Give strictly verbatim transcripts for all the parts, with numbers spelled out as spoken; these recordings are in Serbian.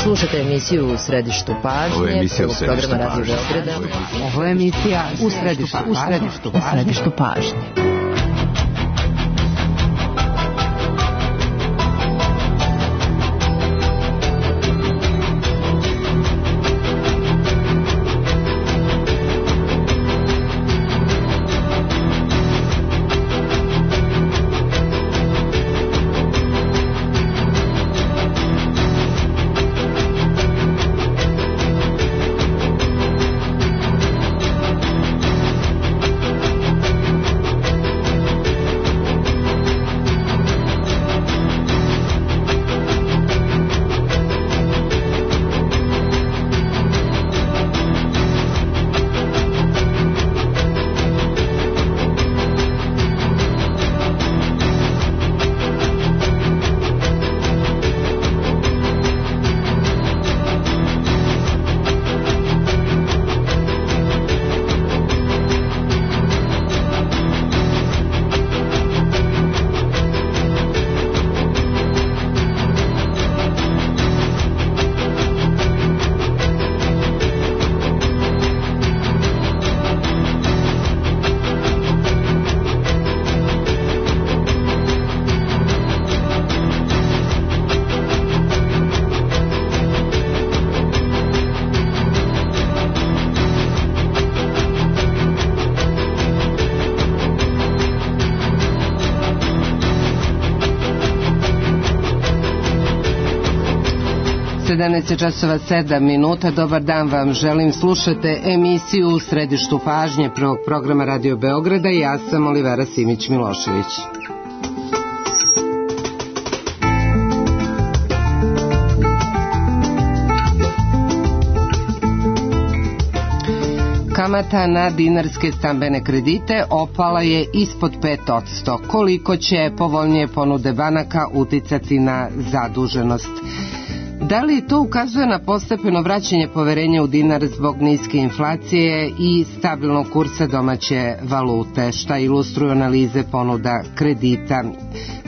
Slušajte emisiju U središtu pažnje. Ovo je emisija U središtu pažnje. Ovo je emisija U središtu pažnje. U središtu pažnje. sedamnaest časova sedam minuta. Dobar dan vam želim. Slušate emisiju U središtu pažnje prvog programa Radio Beograda i ja sam Olivera Simić-Milošević. Kamata na dinarske stambene kredite opala je ispod pet posto. Koliko će povoljnije ponude banaka uticati na zaduženost? Da li to ukazuje na postepeno vraćanje poverenja u dinar zbog niske inflacije i stabilnog kursa domaće valute? Šta ilustruju analize ponuda kredita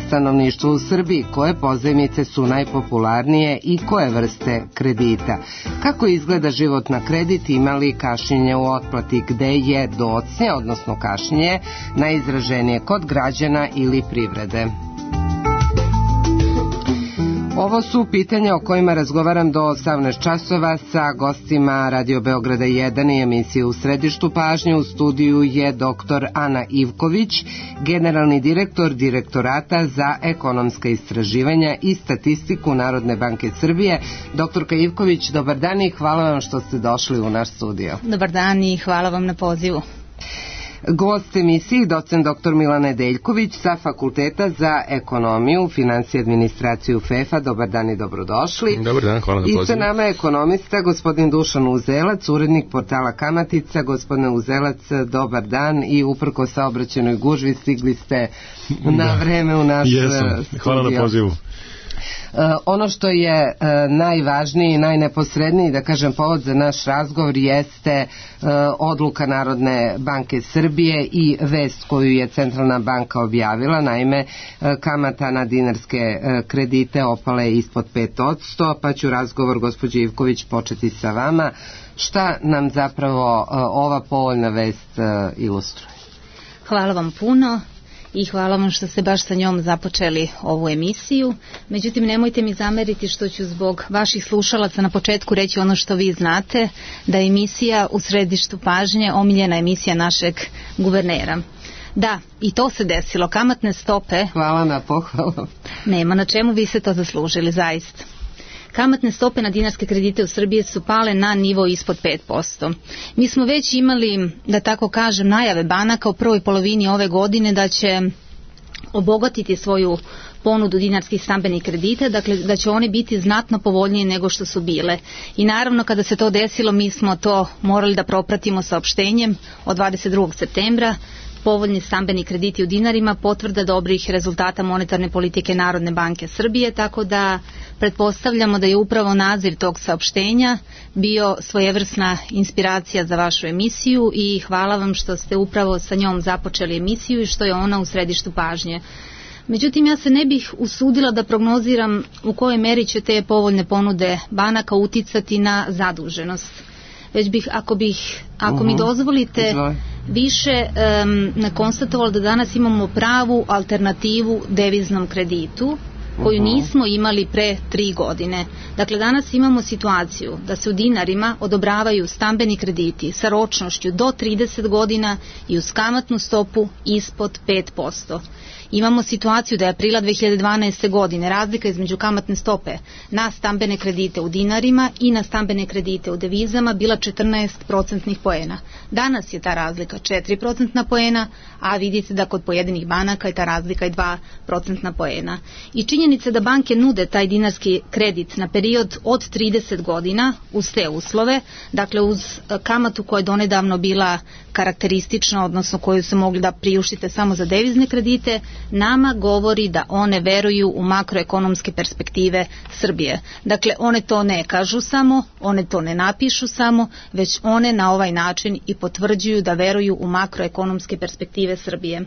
stanovništvu u Srbiji? Koje pozajmice su najpopularnije i koje vrste kredita? Kako izgleda život na kredit? Ima li kašnjenje u otplati? Gde je docnje, odnosno kašnjenje, najizraženije kod građana ili privrede? Ovo su pitanja o kojima razgovaram do osamnaest časova sa gostima Radio Beograda jedan i emisije U središtu pažnje. U studiju je doktor Ana Ivković, generalni direktor Direktorata za ekonomska istraživanja i statistiku Narodne banke Srbije. Doktorka Ivković, dobar dan i hvala vam što ste došli u naš studio. Dobar dan i hvala vam na pozivu. Gost emisiji docent doktor Milan Nedeljković sa Fakulteta za ekonomiju, finansije i administraciju F E F-a. Dobar dan i dobrodošli. Dobar dan, hvala na pozivu. I sa nama je ekonomista gospodin Dušan Uzelac, urednik portala Kamatica. Gospodine Uzelac, dobar dan i uprko saobraćajnoj gužvi stigli ste na vreme u naš Jesam. studio. Hvala na pozivu. Uh, ono što je uh, najvažniji i najneposredniji, da kažem, povod za naš razgovor jeste uh, odluka Narodne banke Srbije i vest koju je Centralna banka objavila. Naime, uh, kamata na dinarske uh, kredite opala je ispod pet posto, pa ću razgovor gospođe Ivković početi sa vama. Šta nam zapravo uh, ova povoljna vest uh, ilustruje? Hvala vam puno. I hvala vam što ste baš sa njom započeli ovu emisiju. Međutim, nemojte mi zameriti što ću zbog vaših slušalaca na početku reći ono što vi znate, da je emisija U središtu pažnje omiljena emisija našeg guvernera. Da, i to se desilo. Kamatne stope... Hvala na pohvalu. Nema na čemu, vi ste to zaslužili, zaista. Kamatne stope na dinarske kredite u Srbiji su pale na nivo ispod pet posto. Mi smo već imali, da tako kažem, najave banaka u prvoj polovini ove godine da će obogatiti svoju ponudu dinarskih stambenih kredita, dakle da će one biti znatno povoljnije nego što su bile. I naravno kada se to desilo mi smo to morali da propratimo saopštenjem od dvadeset drugog septembra. Povoljni stambeni krediti u dinarima, potvrda dobrih rezultata monetarne politike Narodne banke Srbije, tako da pretpostavljamo da je upravo naziv tog saopštenja bio svojevrsna inspiracija za vašu emisiju i hvala vam što ste upravo sa njom započeli emisiju i što je ona u središtu pažnje. Međutim, ja se ne bih usudila da prognoziram u kojoj meri će te povoljne ponude banaka uticati na zaduženost. Već bih, ako bih, ako uh-huh. mi dozvolite, Izvaj. više um, konstatovala da danas imamo pravu alternativu deviznom kreditu, koju nismo imali pre tri godine. Dakle, danas imamo situaciju da se u dinarima odobravaju stambeni krediti sa ročnošću do trideset godina i uz kamatnu stopu ispod pet posto. Imamo situaciju da je aprila dve hiljade dvanaeste. godine razlika između kamatne stope na stambene kredite u dinarima i na stambene kredite u devizama bila četrnaest procentnih poena. Danas je ta razlika četiri procentna poena, a vidite da kod pojedinih banaka je ta razlika i dva procentna poena. I činjenica da banke nude taj dinarski kredit na period od trideset godina uz te uslove, dakle uz kamatu koja je donedavno bila karakteristična, odnosno koju se mogli da priuštite samo za devizne kredite, nama govori da one veruju u makroekonomske perspektive Srbije. Dakle, one to ne kažu samo, one to ne napišu samo, već one na ovaj način i potvrđuju da veruju u makroekonomske perspektive Srbije.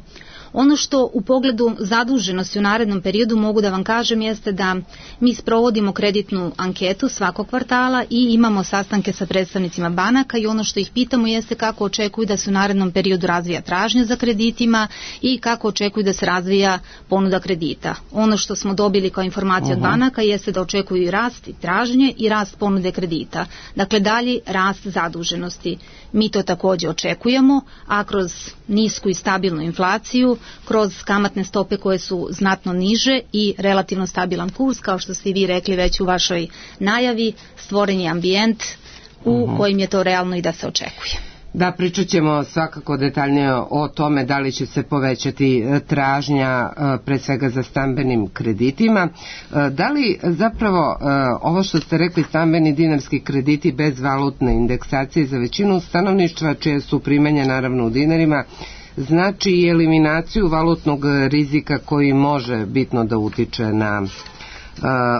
Ono što u pogledu zaduženosti u narednom periodu mogu da vam kažem jeste da mi sprovodimo kreditnu anketu svakog kvartala i imamo sastanke sa predstavnicima banaka i ono što ih pitamo jeste kako očekuju da se u narednom periodu razvija tražnja za kreditima i kako očekuju da se razvija ponuda kredita. Ono što smo dobili kao informacija uh-huh. od banaka jeste da očekuju i rast i tražnje i rast ponude kredita. Dakle, dalji rast zaduženosti. Mi to također očekujemo, a kroz nisku i stabilnu inflaciju, kroz kamatne stope koje su znatno niže i relativno stabilan kurs, kao što ste i vi rekli već u vašoj najavi, stvoren je ambijent u uh-huh. kojim je to realno i da se očekuje. Da, pričat ćemo svakako detaljnije o tome da li će se povećati tražnja pre svega za stambenim kreditima. Da li zapravo ovo što ste rekli, stambeni dinarski krediti bez valutne indeksacije za većinu stanovništva čije su primanja naravno u dinarima, znači i eliminaciju valutnog rizika koji može bitno da utiče na uh,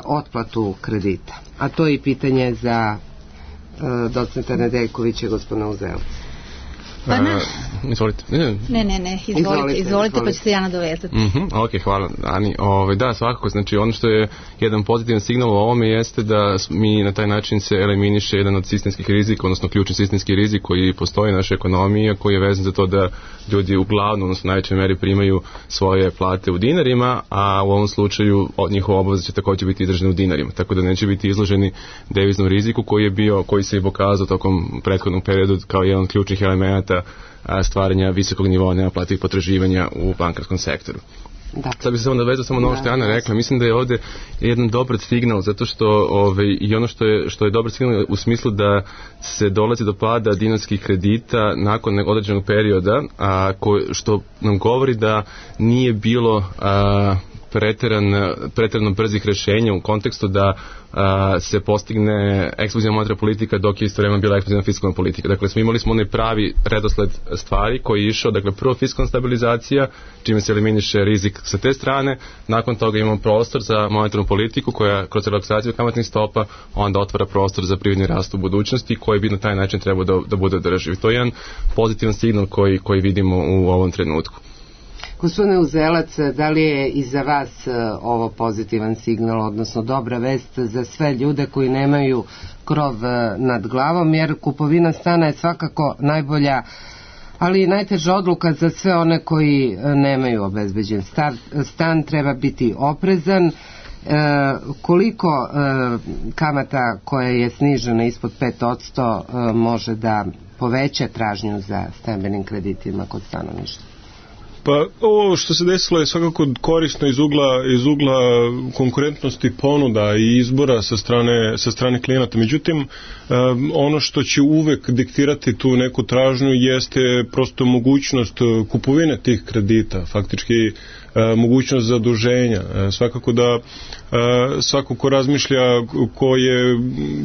otplatu kredita. A to je i pitanje za uh, docenta Nedeljkovića, gospodina Uzelac. Pa na... Uh, izvolite. Ne, ne, ne, izvolite, izvolite, izvolite pa ću se ja nadovezati. Mm-hmm, ok, hvala, Ani. Ove, da, svakako, znači ono što je jedan pozitivan signal u ovome jeste da mi na taj način se eliminiše jedan od sistemskih rizika, odnosno ključni sistemski rizik koji postoji u našoj ekonomiji, a koji je vezan za to da ljudi uglavnom, odnosno u najvećoj meri primaju svoje plate u dinarima, a u ovom slučaju njihova obaveza će također biti izražena u dinarima, tako da neće biti izloženi deviznom riziku koji je bio, koji se je pokazao tokom prethodnog perioda kao jedan od ključnih elemenata stvaranja visokog nivoa nenaplativih potraživanja u bankarskom sektoru. Da. Sad bih se samo nadovezao samo na ovo što je Ana rekla. Mislim da je ovdje jedan dobar signal, zato što ovaj, i ono što je, što je dobar signal u smislu da se dolazi do pada dinarskih kredita nakon određenog perioda, a, ko, što nam govori da nije bilo a, preteran, preterano brzih rješenja u kontekstu da a, se postigne eksplozivna monetarna politika dok je istovremeno bila eksplozivna fiskalna politika. Dakle, smo imali smo onaj pravi redosled stvari koji je išao, dakle, prvo fiskalna stabilizacija, čime se eliminiše rizik sa te strane, nakon toga imamo prostor za monetarnu politiku koja kroz relaksaciju kamatnih stopa onda otvara prostor za privredni rast u budućnosti koji bi na taj način trebao da, da bude održiv. To je jedan pozitivan signal koji, koji vidimo u ovom trenutku. Gospodine Uzelac, da li je i za vas ovo pozitivan signal, odnosno dobra vest za sve ljude koji nemaju krov nad glavom, jer kupovina stana je svakako najbolja, ali i najteža odluka za sve one koji nemaju obezbeđen stan. Stan treba biti oprezan. E, koliko e, kamata koja je snižena ispod pet posto e, može da poveća tražnju za stambenim kreditima kod stanovništva? Pa ovo što se desilo je svakako korisno iz ugla, iz ugla konkurentnosti ponuda i izbora sa strane, sa strane klijenata. Međutim, um, ono što će uvek diktirati tu neku tražnju jeste prosto mogućnost kupovine tih kredita, faktički uh, mogućnost zaduženja. Uh, svakako da uh, svako ko razmišlja, ko je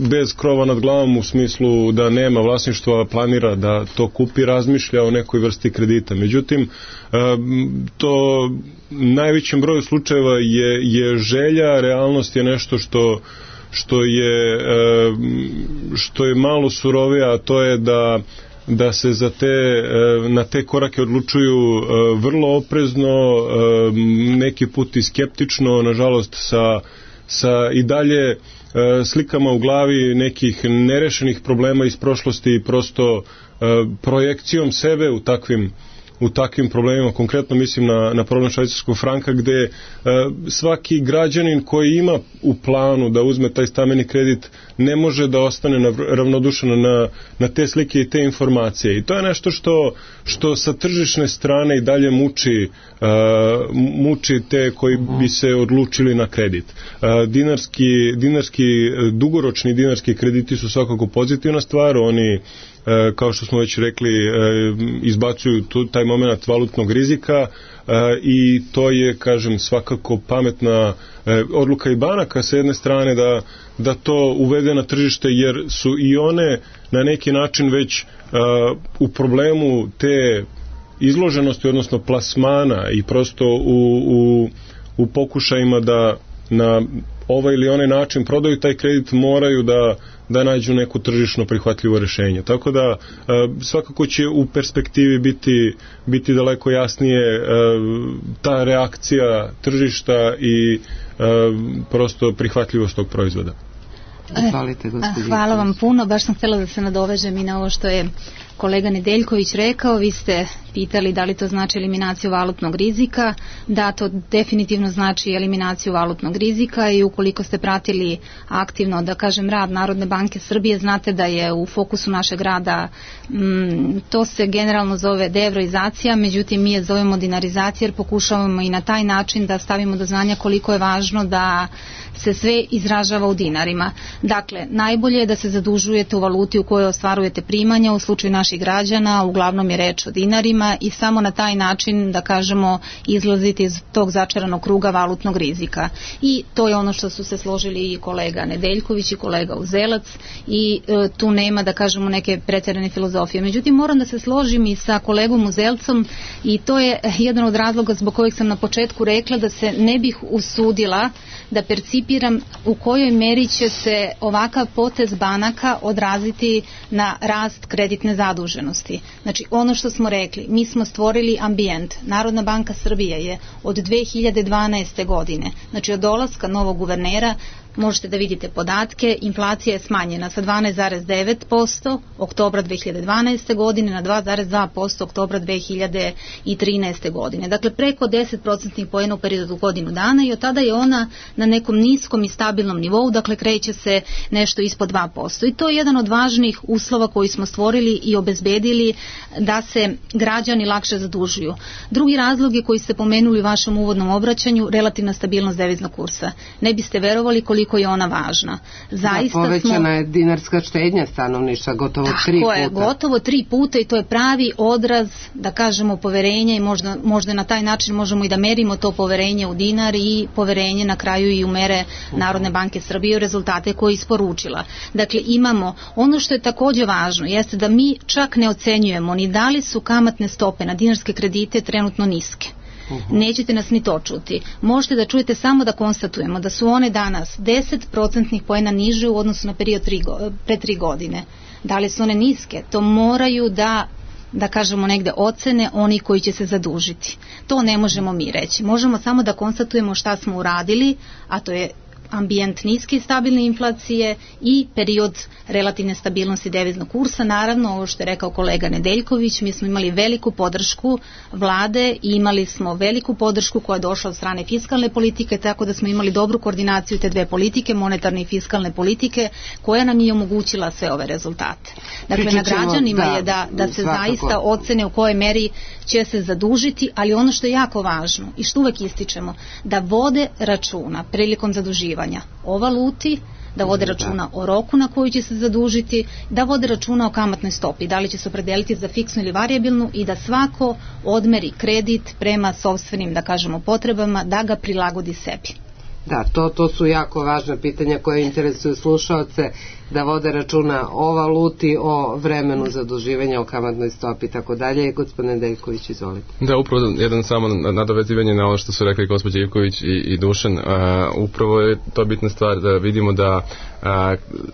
bez krova nad glavom u smislu da nema vlasništva, planira da to kupi, razmišlja o nekoj vrsti kredita. Međutim, to najvećem broju slučajeva je, je želja, realnost je nešto što, što, je, što je malo surovija, a to je da da se za te, na te korake odlučuju vrlo oprezno, neki put i skeptično, nažalost sa, sa i dalje slikama u glavi nekih nerešenih problema iz prošlosti i prosto projekcijom sebe u takvim u takvim problemima, konkretno mislim na, na problem švajcarskog franka, gde e, svaki građanin koji ima u planu da uzme taj stambeni kredit ne može da ostane na, ravnodušan na, na te slike i te informacije. I to je nešto što, što sa tržišne strane i dalje muči, e, muči te koji bi se odlučili na kredit. E, dinarski, dinarski, dugoročni dinarski krediti su svakako pozitivna stvar, oni kao što smo već rekli, izbacuju tu, taj moment valutnog rizika i to je, kažem, svakako pametna odluka i banaka sa jedne strane da, da to uvede na tržište, jer su i one na neki način već u problemu te izloženosti, odnosno plasmana i prosto u, u, u pokušajima da na ovaj ili onaj način prodaju taj kredit, moraju da da nađu neko tržišno prihvatljivo rješenje. Tako da svakako će u perspektivi biti, biti daleko jasnije ta reakcija tržišta i prosto prihvatljivost tog proizvoda. Hvala vam puno, baš sam htjela da se nadovežem i na ovo što je kolega Nedeljković rekao. Vi ste pitali da li to znači eliminaciju valutnog rizika. Da, to definitivno znači eliminaciju valutnog rizika i ukoliko ste pratili aktivno, da kažem, rad Narodne banke Srbije, znate da je u fokusu našeg rada, m, to se generalno zove deevroizacija, međutim mi je zovemo dinarizacija jer pokušavamo i na taj način da stavimo do znanja koliko je važno da se sve izražava u dinarima. Dakle, najbolje je da se zadužujete u valuti u kojoj ostvarujete primanja, u slučaju naših građana, uglavnom je reč o dinarima i samo na taj način, da kažemo, izlaziti iz tog začaranog kruga valutnog rizika. I to je ono što su se složili i kolega Nedeljković i kolega Uzelac i e, tu nema, da kažemo, neke pretjerane filozofije. Međutim, moram da se složim i sa kolegom Uzelcom i to je jedan od razloga zbog kojeg sam na početku rekla da se ne bih usudila da percipiram u kojoj meri će se ovakav potez banaka odraziti na rast kreditne zaduženosti. Znači, ono što smo rekli, mi smo stvorili ambijent. Narodna banka Srbije je od dve hiljade dvanaeste. godine, znači od dolaska novog guvernera, možete da vidite podatke, inflacija je smanjena sa dvanaest zarez devet posto oktobra dve hiljade dvanaeste. godine na dva zarez dva posto oktobra dve hiljade trinaeste. godine. Dakle, preko deset procentnih poena u periodu godinu dana i od tada je ona na nekom niskom i stabilnom nivou, dakle kreće se nešto ispod dva posto. I to je jedan od važnih uslova koji smo stvorili i obezbedili da se građani lakše zadužuju. Drugi razlog je koji ste pomenuli u vašem uvodnom obraćanju, relativna stabilnost deviznog kursa. Ne biste verovali koliko je ona važna. Zaista da, povećana smo, je dinarska štednja stanovništva gotovo tri puta. Tako je, gotovo tri puta i to je pravi odraz, da kažemo, poverenja i možda, možda na taj način možemo i da merimo to poverenje u dinar i poverenje na kraju i u mere Narodne banke Srbije u rezultate koje je isporučila. Dakle, imamo, ono što je takođe važno jeste da mi čak ne ocenjujemo ni da li su kamatne stope na dinarske kredite trenutno niske. Nećete nas ni to čuti. Možete da čujete samo da konstatujemo da su one danas deset procentnih poena niže u odnosu na period tri, pre tri godine. Da li su one niske? To moraju da da kažemo negde ocene oni koji će se zadužiti. To ne možemo mi reći. Možemo samo da konstatujemo šta smo uradili, a to je ambijent niske i stabilne inflacije i period relativne stabilnosti deviznog kursa. Naravno, ovo što je rekao kolega Nedeljković, mi smo imali veliku podršku vlade i imali smo veliku podršku koja je došla od strane fiskalne politike, tako da smo imali dobru koordinaciju te dve politike, monetarne i fiskalne politike, koja nam je omogućila sve ove rezultate. Dakle, Pričat na građanima da, je da, da se svakako zaista ocene u kojoj meri će se zadužiti, ali ono što je jako važno i što uvek ističemo, da vode računa prilikom zaduživanja o valuti, da vode računa o roku na koju će se zadužiti, da vode računa o kamatnoj stopi, da li će se opredeliti za fiksnu ili varijabilnu i da svako odmeri kredit prema sopstvenim, da kažemo, potrebama, da ga prilagodi sebi. Da, to, to su jako važna pitanja koje interesuju slušaoce, da vode računa o valuti, o vremenu zaduživanja, o kamatnoj stopi i tako dalje. Gospodine Nedeljković, izvolite. Da, upravo jedan samo nadovezivanje na ono što su rekli gospođa Ivković i, i Dušan. Uh, upravo je to bitna stvar da vidimo da uh,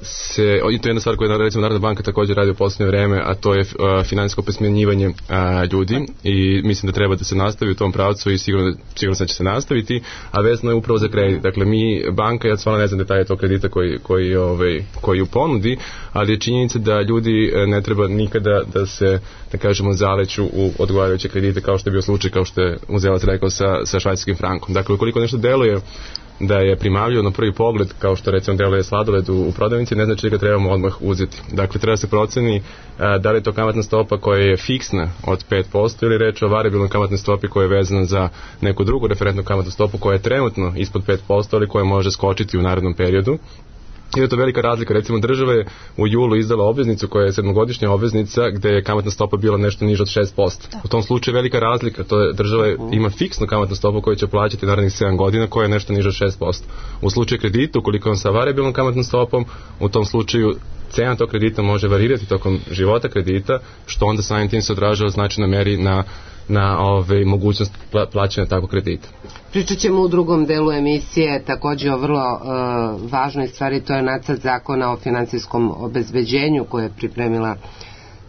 se, i to je jedna stvar koja recimo Narodna banka također radi u posljednje vreme, a to je uh, financijsko opismenjivanje uh, ljudi i mislim da treba da se nastavi u tom pravcu i sigurno, sigurno da će se nastaviti, a vezano je upravo za kredit. Dakle, mi, banka, ja stvarno ne znam detalje tog kredita koji, koji, ovaj, koji u ponudi, ali je činjenica da ljudi ne treba nikada da se, da kažemo, zaleću u odgovarajuće kredite, kao što je bio slučaj, kao što je Uzelac rekao sa, sa švajcarskim frankom. Dakle, ukoliko nešto deluje da je primavljivo na prvi pogled, kao što recimo deluje sladoled u, u prodavnici, ne znači da ga trebamo odmah uzeti. Dakle, treba se proceni a, da li je to kamatna stopa koja je fiksna od pet posto ili reč o variabilnoj kamatnoj stopi koja je vezana za neku drugu referentnu kamatnu stopu koja je trenutno ispod pet posto, ali koja može skočiti u narednom periodu. I je to velika razlika. Recimo, država je u julu izdala obveznicu koja je sedmogodišnja obveznica gde je kamatna stopa bila nešto niža od šest posto. U tom slučaju je velika razlika. To je, država je, ima fiksnu kamatnu stopu koju će plaćati narednih sedam godina koja je nešto niža od šest posto. U slučaju kredita, ukoliko on sa variabilnom kamatnom stopom, u tom slučaju cena tog kredita može varirati tokom života kredita, što onda samim tim se odražava značajno meri na na ove, mogućnost plaćanja takvog kredita. Pričat ćemo u drugom delu emisije također o vrlo uh, važnoj stvari, to je nacrt zakona o finansijskom obezbeđenju koje je pripremila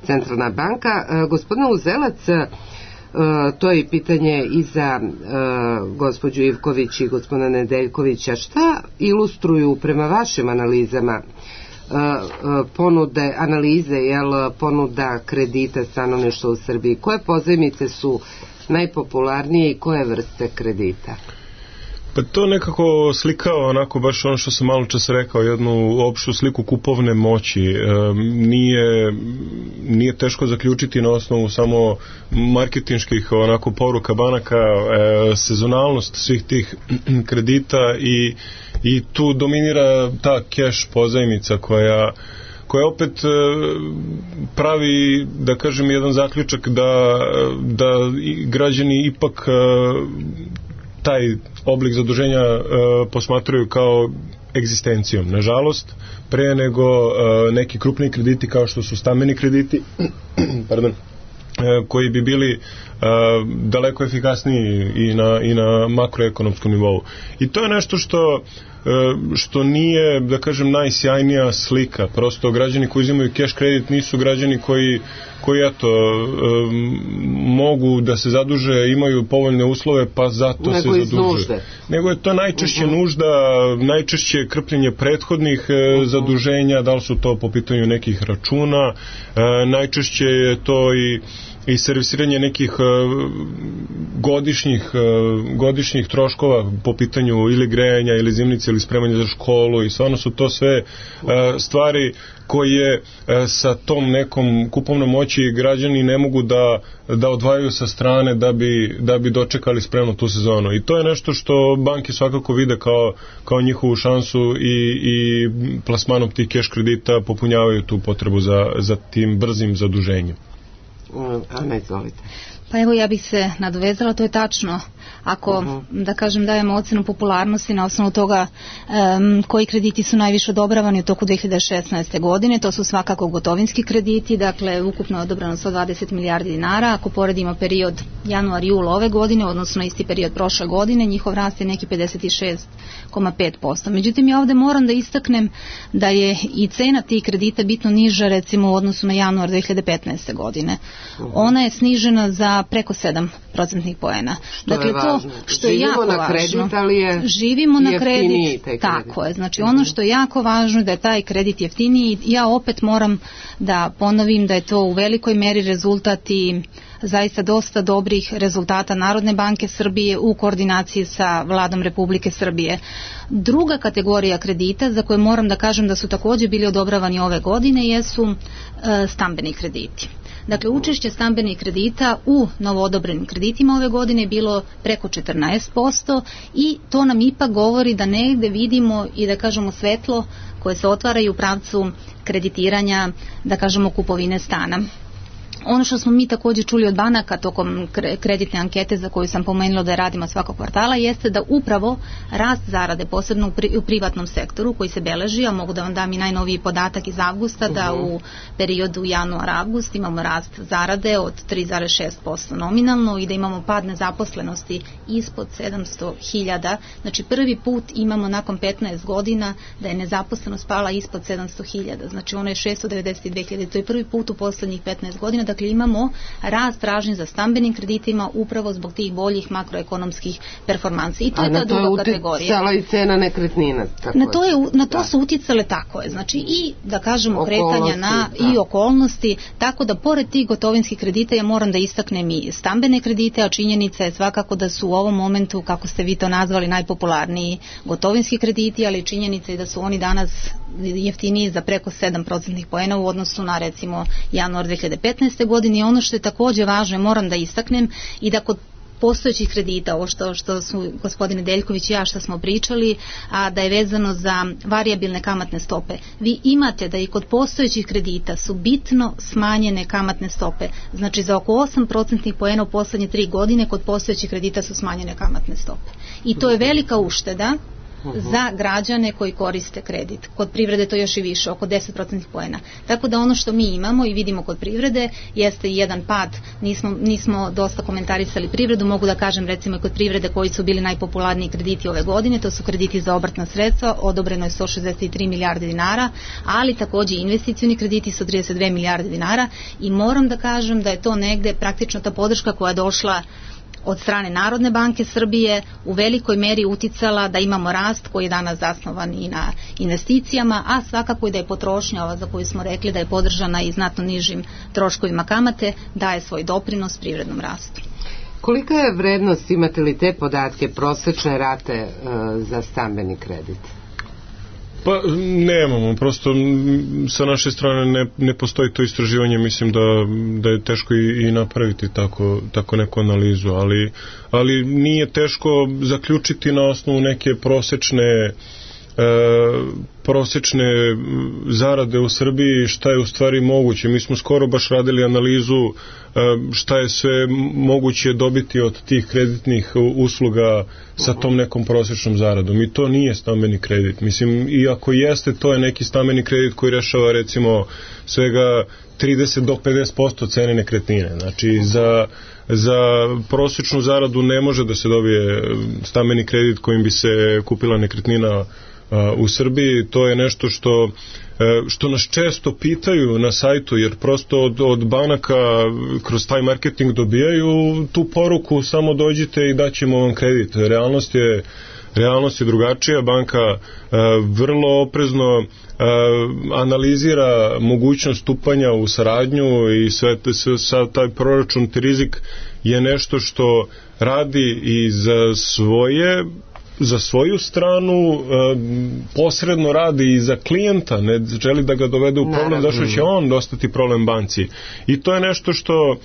Centralna banka. Uh, gospodine Uzelac, uh, to je pitanje i za uh, gospođu Ivković i gospodina Nedeljkovića. Šta ilustruju prema vašim analizama ponude, analize, jel, ponuda kredita stanovništva u Srbiji? Koje pozajmice su najpopularnije i koje vrste kredita? Pa to nekako slikao onako baš ono što sam malo čas rekao, jednu opštu sliku kupovne moći. E, nije, nije teško zaključiti na osnovu samo marketinških onako poruka banaka e, sezonalnost svih tih kredita i, i tu dominira ta keš pozajmica koja koja opet pravi, da kažem, jedan zaključak da, da građani ipak taj oblik zaduženja e, posmatraju kao egzistencijom. Nažalost, pre nego e, neki krupni krediti kao što su stambeni krediti pardon, e, koji bi bili e, daleko efikasniji i na, i na makroekonomskom nivou. I to je nešto što što nije, da kažem, najsjajnija slika. Prosto građani koji uzimaju keš kredit nisu građani koji, koji eto, um, mogu da se zaduže, imaju povoljne uslove, pa zato nego se zadužuju. Nego je to najčešće uh-huh. nužda, najčešće krpljenje prethodnih uh-huh. zaduženja, da li su to po pitanju nekih računa, uh, najčešće je to i i servisiranje nekih uh, godišnjih, uh, godišnjih troškova po pitanju ili grejanja ili zimnice ili spremanja za školu i stvarno su to sve uh, stvari koje uh, sa tom nekom kupovnom moći građani ne mogu da, da odvajaju sa strane da bi, da bi dočekali spremno tu sezonu. I to je nešto što banke svakako vide kao, kao njihovu šansu i, i plasmanom tih keš kredita popunjavaju tu potrebu za, za tim brzim zaduženjem. Ana, izvolite. Pa evo, ja bih se nadovezala, to je tačno. Ako, uh-huh. da kažem, dajemo ocenu popularnosti na osnovu toga um, koji krediti su najviše odobravani u toku dve hiljade šesnaeste. godine, to su svakako gotovinski krediti, dakle ukupno je odobrano sto dvadeset milijardi dinara. Ako poredimo period januar-jul ove godine, odnosno isti period prošle godine, njihov rast je neki pedeset šest zarez pet posto. Međutim, ja ovde moram da istaknem da je i cena tih kredita bitno niža, recimo u odnosu na januar dve hiljade petnaeste. godine. Uh-huh. Ona je snižena za preko sedam procentnih poena. Što dakle, je to što je jako na kredit, važno. Ali je živimo na kredit, tako je. Znači, ono što je jako važno je da je taj kredit jeftiniji. Ja opet moram da ponovim da je to u velikoj meri rezultat i zaista dosta dobrih rezultata Narodne banke Srbije u koordinaciji sa Vladom Republike Srbije. Druga kategorija kredita za koje moram da kažem da su također bili odobravani ove godine jesu e, stambeni krediti. Dakle, učešće stambenih kredita u novoodobrenim kreditima ove godine je bilo preko četrnaest posto i to nam ipak govori da negde vidimo i da kažemo svetlo koje se otvaraju u pravcu kreditiranja, da kažemo kupovine stana. Ono što smo mi također čuli od banaka tokom kreditne ankete za koju sam pomenula da je radimo svakog kvartala jeste da upravo rast zarade, posebno u, pri, u privatnom sektoru koji se beleži, a mogu da vam dam i najnoviji podatak iz avgusta, da u periodu januar-avgust imamo rast zarade od tri zarez šest posto nominalno i da imamo pad nezaposlenosti ispod sedamsto hiljada. Znači prvi put imamo nakon petnaest godina da je nezaposlenost pala ispod sedamsto hiljada. Znači ono je šesto devedeset dve hiljade. To je prvi put u poslednjih petnaest godina. Dakle imamo rast tražnje za stambenim kreditima upravo zbog tih boljih makroekonomskih performansi. I to je ta druga kategorija. A na to je uticala i cena nekretnina. Na to, je, na to su uticale, tako je. Znači i da kažemo kretanja na da. i okolnosti, tako da pored tih gotovinskih kredita ja moram da istaknem i stambene kredite, a činjenica je svakako da su u ovom momentu, kako ste vi to nazvali, najpopularniji gotovinski krediti, ali činjenica je da su oni danas jeftiniji za preko sedam procentnih poena u odnosu na recimo januar dve hiljade petnaeste. godine. I ono što je također važno, moram da istaknem i da kod postojećih kredita, ovo što, što su gospodine Deljković i ja što smo pričali, a da je vezano za varijabilne kamatne stope. Vi imate da i kod postojećih kredita su bitno smanjene kamatne stope. Znači za oko osam procentnih poena u poslednje tri godine kod postojećih kredita su smanjene kamatne stope. I to je velika ušteda za građane koji koriste kredit. Kod privrede to još i više, oko deset procentnih poena. Tako da ono što mi imamo i vidimo kod privrede jeste jedan pad. Nismo, nismo dosta komentarisali privredu, mogu da kažem recimo i kod privrede koji su bili najpopularniji krediti ove godine, to su krediti za obrtna sredstva, odobreno je sto šezdeset tri milijarde dinara, ali također investicioni krediti su trideset dve milijarde dinara i moram da kažem da je to negde praktično ta podrška koja je došla od strane Narodne banke Srbije u velikoj meri uticala da imamo rast koji je danas zasnovan i na investicijama, a svakako i da je potrošnja ova za koju smo rekli da je podržana i znatno nižim troškovima kamate, daje svoj doprinos privrednom rastu. Kolika je vrednost, imate li te podatke, prosečne rate e, za stambeni kredit? Pa nemamo, prosto sa naše strane ne, ne postoji to istraživanje, mislim da, da je teško i, i napraviti tako, tako neku analizu, ali, ali nije teško zaključiti na osnovu neke prosečne e, prosečne zarade u Srbiji šta je u stvari moguće. Mi smo skoro baš radili analizu šta je sve moguće dobiti od tih kreditnih usluga sa tom nekom prosečnom zaradom. I to nije stambeni kredit. Mislim, i ako jeste, to je neki stambeni kredit koji rešava recimo svega trideset do pedeset posto cene nekretnine. Znači, za, za prosečnu zaradu ne može da se dobije stambeni kredit kojim bi se kupila nekretnina u Srbiji. To je nešto što što nas često pitaju na sajtu, jer prosto od, od banaka kroz taj marketing dobijaju tu poruku, samo dođite i daćemo vam kredit. Realnost je realnost je drugačija. Banka e, vrlo oprezno e, analizira mogućnost stupanja u saradnju i sve, sve, sve taj proračun te rizik je nešto što radi i za svoje za svoju stranu, posredno radi i za klijenta, ne želi da ga dovede u problem, zašto će on dostati problem banci. I to je nešto što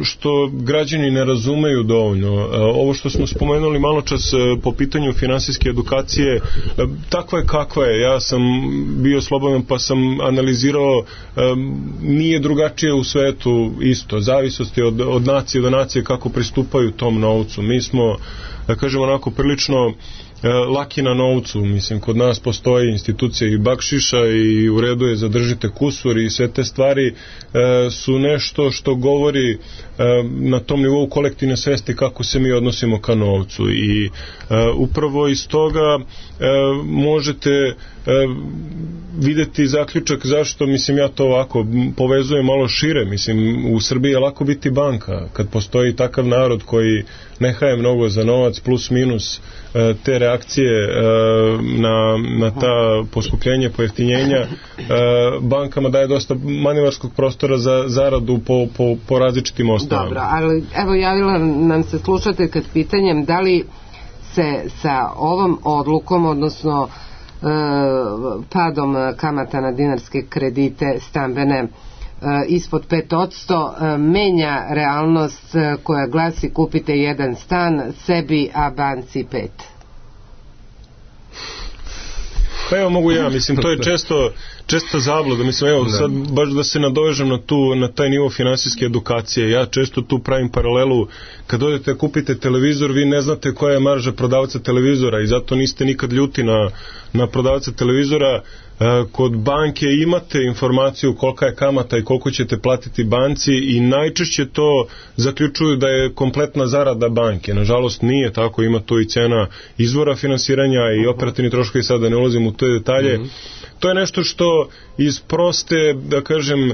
što građani ne razumeju dovoljno. Ovo što smo spomenuli malo čas po pitanju finansijske edukacije, takva je kakva je. Ja sam bio slobodan pa sam analizirao, nije drugačije u svetu isto. Zavisnosti od, od nacije do nacije kako pristupaju tom novcu. Mi smo, da kažemo onako, prilično laki na novcu. Mislim, kod nas postoji institucija i bakšiša i u redu je zadržite kusur i sve te stvari e, su nešto što govori e, na tom nivou kolektivne svesti kako se mi odnosimo ka novcu i e, upravo iz toga e, možete e, videti zaključak zašto, mislim, ja to ovako povezujem malo šire. Mislim, u Srbiji je lako biti banka kad postoji takav narod koji ne haje mnogo za novac, plus minus e, te reakcije e, na, na ta poskupljenja, pojeftinjenja, e, bankama daje dosta manevarskog prostora za zaradu po, po, po različitim osnovama. Dobro, ali evo javila nam se slušateljka s pitanjem da li se sa ovom odlukom, odnosno e, padom kamata na dinarske kredite stambene ispod pet posto menja realnost koja glasi kupite jedan stan sebi, a banci pet. Pa evo mogu ja, mislim, to je često, često zabluda, mislim, evo, sad baš da se nadovežem na, tu, na taj nivo finansijske edukacije, ja često tu pravim paralelu, kad odete kupite televizor, vi ne znate koja je marža prodavca televizora i zato niste nikad ljuti na, na prodavca televizora. Kod banke imate informaciju kolika je kamata i koliko ćete platiti banci i najčešće to zaključuju da je kompletna zarada banke. Nažalost nije tako, ima tu i cena izvora finansiranja i operativni troškovi, sada ne ulazim u te detalje. Mm-hmm. To je nešto što iz proste, da kažem,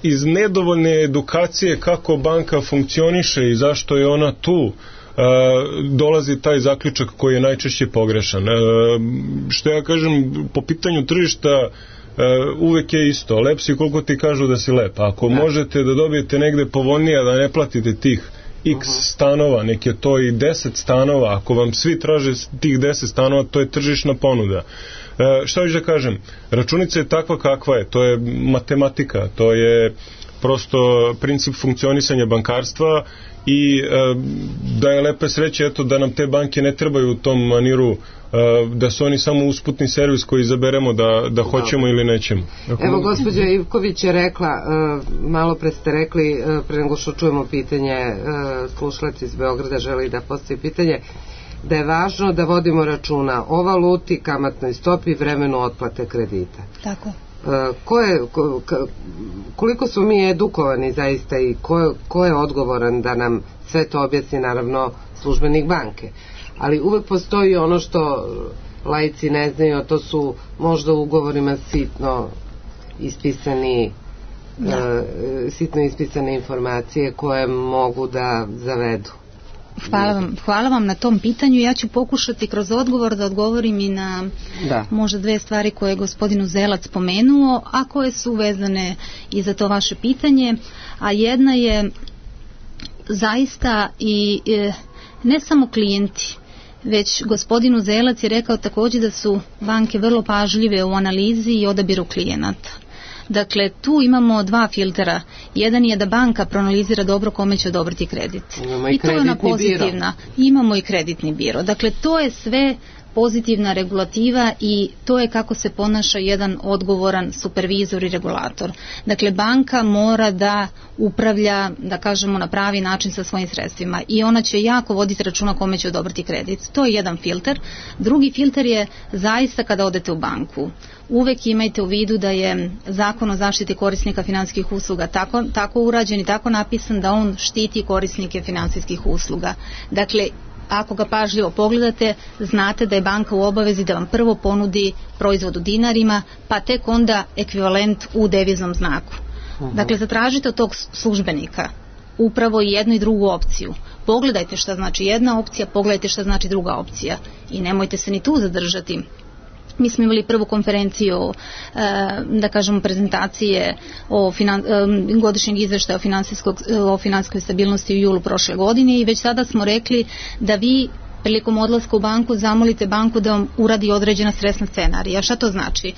iz nedovoljne edukacije kako banka funkcioniše i zašto je ona tu, dolazi taj zaključak koji je najčešće pogrešan. Što ja kažem, po pitanju tržišta uvek je isto. Lep si koliko ti kažu da si lep. Ako možete da dobijete negde povoljnije, da ne platite tih x stanova, nek je to i deset stanova, ako vam svi traže tih deset stanova, to je tržišna ponuda. E, šta ću da kažem? Računica je takva kakva je, to je matematika, to je prosto princip funkcionisanja bankarstva i e, da je lepe sreće eto da nam te banke ne trebaju u tom maniru, e, da su oni samo usputni servis koji izaberemo da, da hoćemo ili nećemo. Ako... Evo gospođa Ivković je rekla, e, malo pre ste rekli, e, pre nego što čujemo pitanje, e, slušalac iz Beograda želi da postavi pitanje, da je važno da vodimo računa o valuti, kamatnoj stopi i vremenu otplate kredita. Tako. Ko je, ko, koliko smo mi edukovani zaista i ko, ko je odgovoran da nam sve to objasni, naravno službenik banke, ali uvek postoji ono što laici ne znaju, to su možda u ugovorima sitno ispisani da. uh, sitno ispisane informacije koje mogu da zavedu. Hvala vam, hvala vam na tom pitanju. Ja ću pokušati kroz odgovor da odgovorim i na da. možda dve stvari koje je gospodin Uzelac spomenuo, a koje su vezane i za to vaše pitanje. A jedna je zaista i e, ne samo klijenti, već gospodin Uzelac je rekao također da su banke vrlo pažljive u analizi i odabiru klijenata. Dakle, tu imamo dva filtera. Jedan je da banka proanalizira dobro kome će odobriti kredit. Imamo i, I to je ona pozitivna. Biro. Imamo i kreditni biro. Dakle, to je sve pozitivna regulativa i to je kako se ponaša jedan odgovoran supervizor i regulator. Dakle, banka mora da upravlja, da kažemo, na pravi način sa svojim sredstvima i ona će jako voditi računa kome će odobriti kredit. To je jedan filter. Drugi filter je zaista kada odete u banku. Uvek imajte u vidu da je Zakon o zaštiti korisnika financijskih usluga tako, tako urađen i tako napisan da on štiti korisnike financijskih usluga. Dakle, ako ga pažljivo pogledate, znate da je banka u obavezi da vam prvo ponudi proizvod u dinarima, pa tek onda ekvivalent u deviznom znaku. Uh-huh. Dakle, zatražite od tog službenika upravo i jednu i drugu opciju. Pogledajte šta znači jedna opcija, pogledajte šta znači druga opcija i nemojte se ni tu zadržati. Mi smo imali prvu konferenciju, da kažemo, prezentacije o finan, godišnjeg izveštaja o, o finansijskoj stabilnosti u julu prošle godine i već sada smo rekli da vi prilikom odlaska u banku zamolite banku da vam uradi određena stresna scenarija. Šta to znači?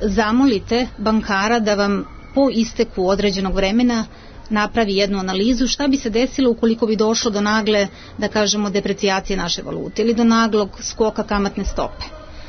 Zamolite bankara da vam po isteku određenog vremena napravi jednu analizu šta bi se desilo ukoliko bi došlo do nagle, da kažemo, deprecijacije naše valute ili do naglog skoka kamatne stope.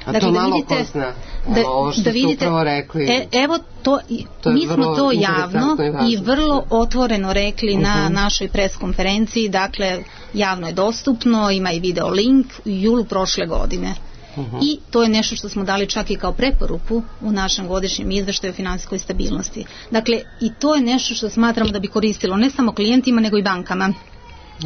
A dakle, to malo da vidite, ko zna, da, ovo što da vidite, ste upravo rekli. E, evo, to, to mi smo to javno i, i vrlo otvoreno rekli uh-huh. na našoj pres konferenciji, dakle, javno je dostupno, ima i video link u julu prošle godine. Uh-huh. I to je nešto što smo dali čak i kao preporuku u našem godišnjem izveštaju o finansijskoj stabilnosti. Dakle, i to je nešto što smatramo da bi koristilo ne samo klijentima, nego i bankama.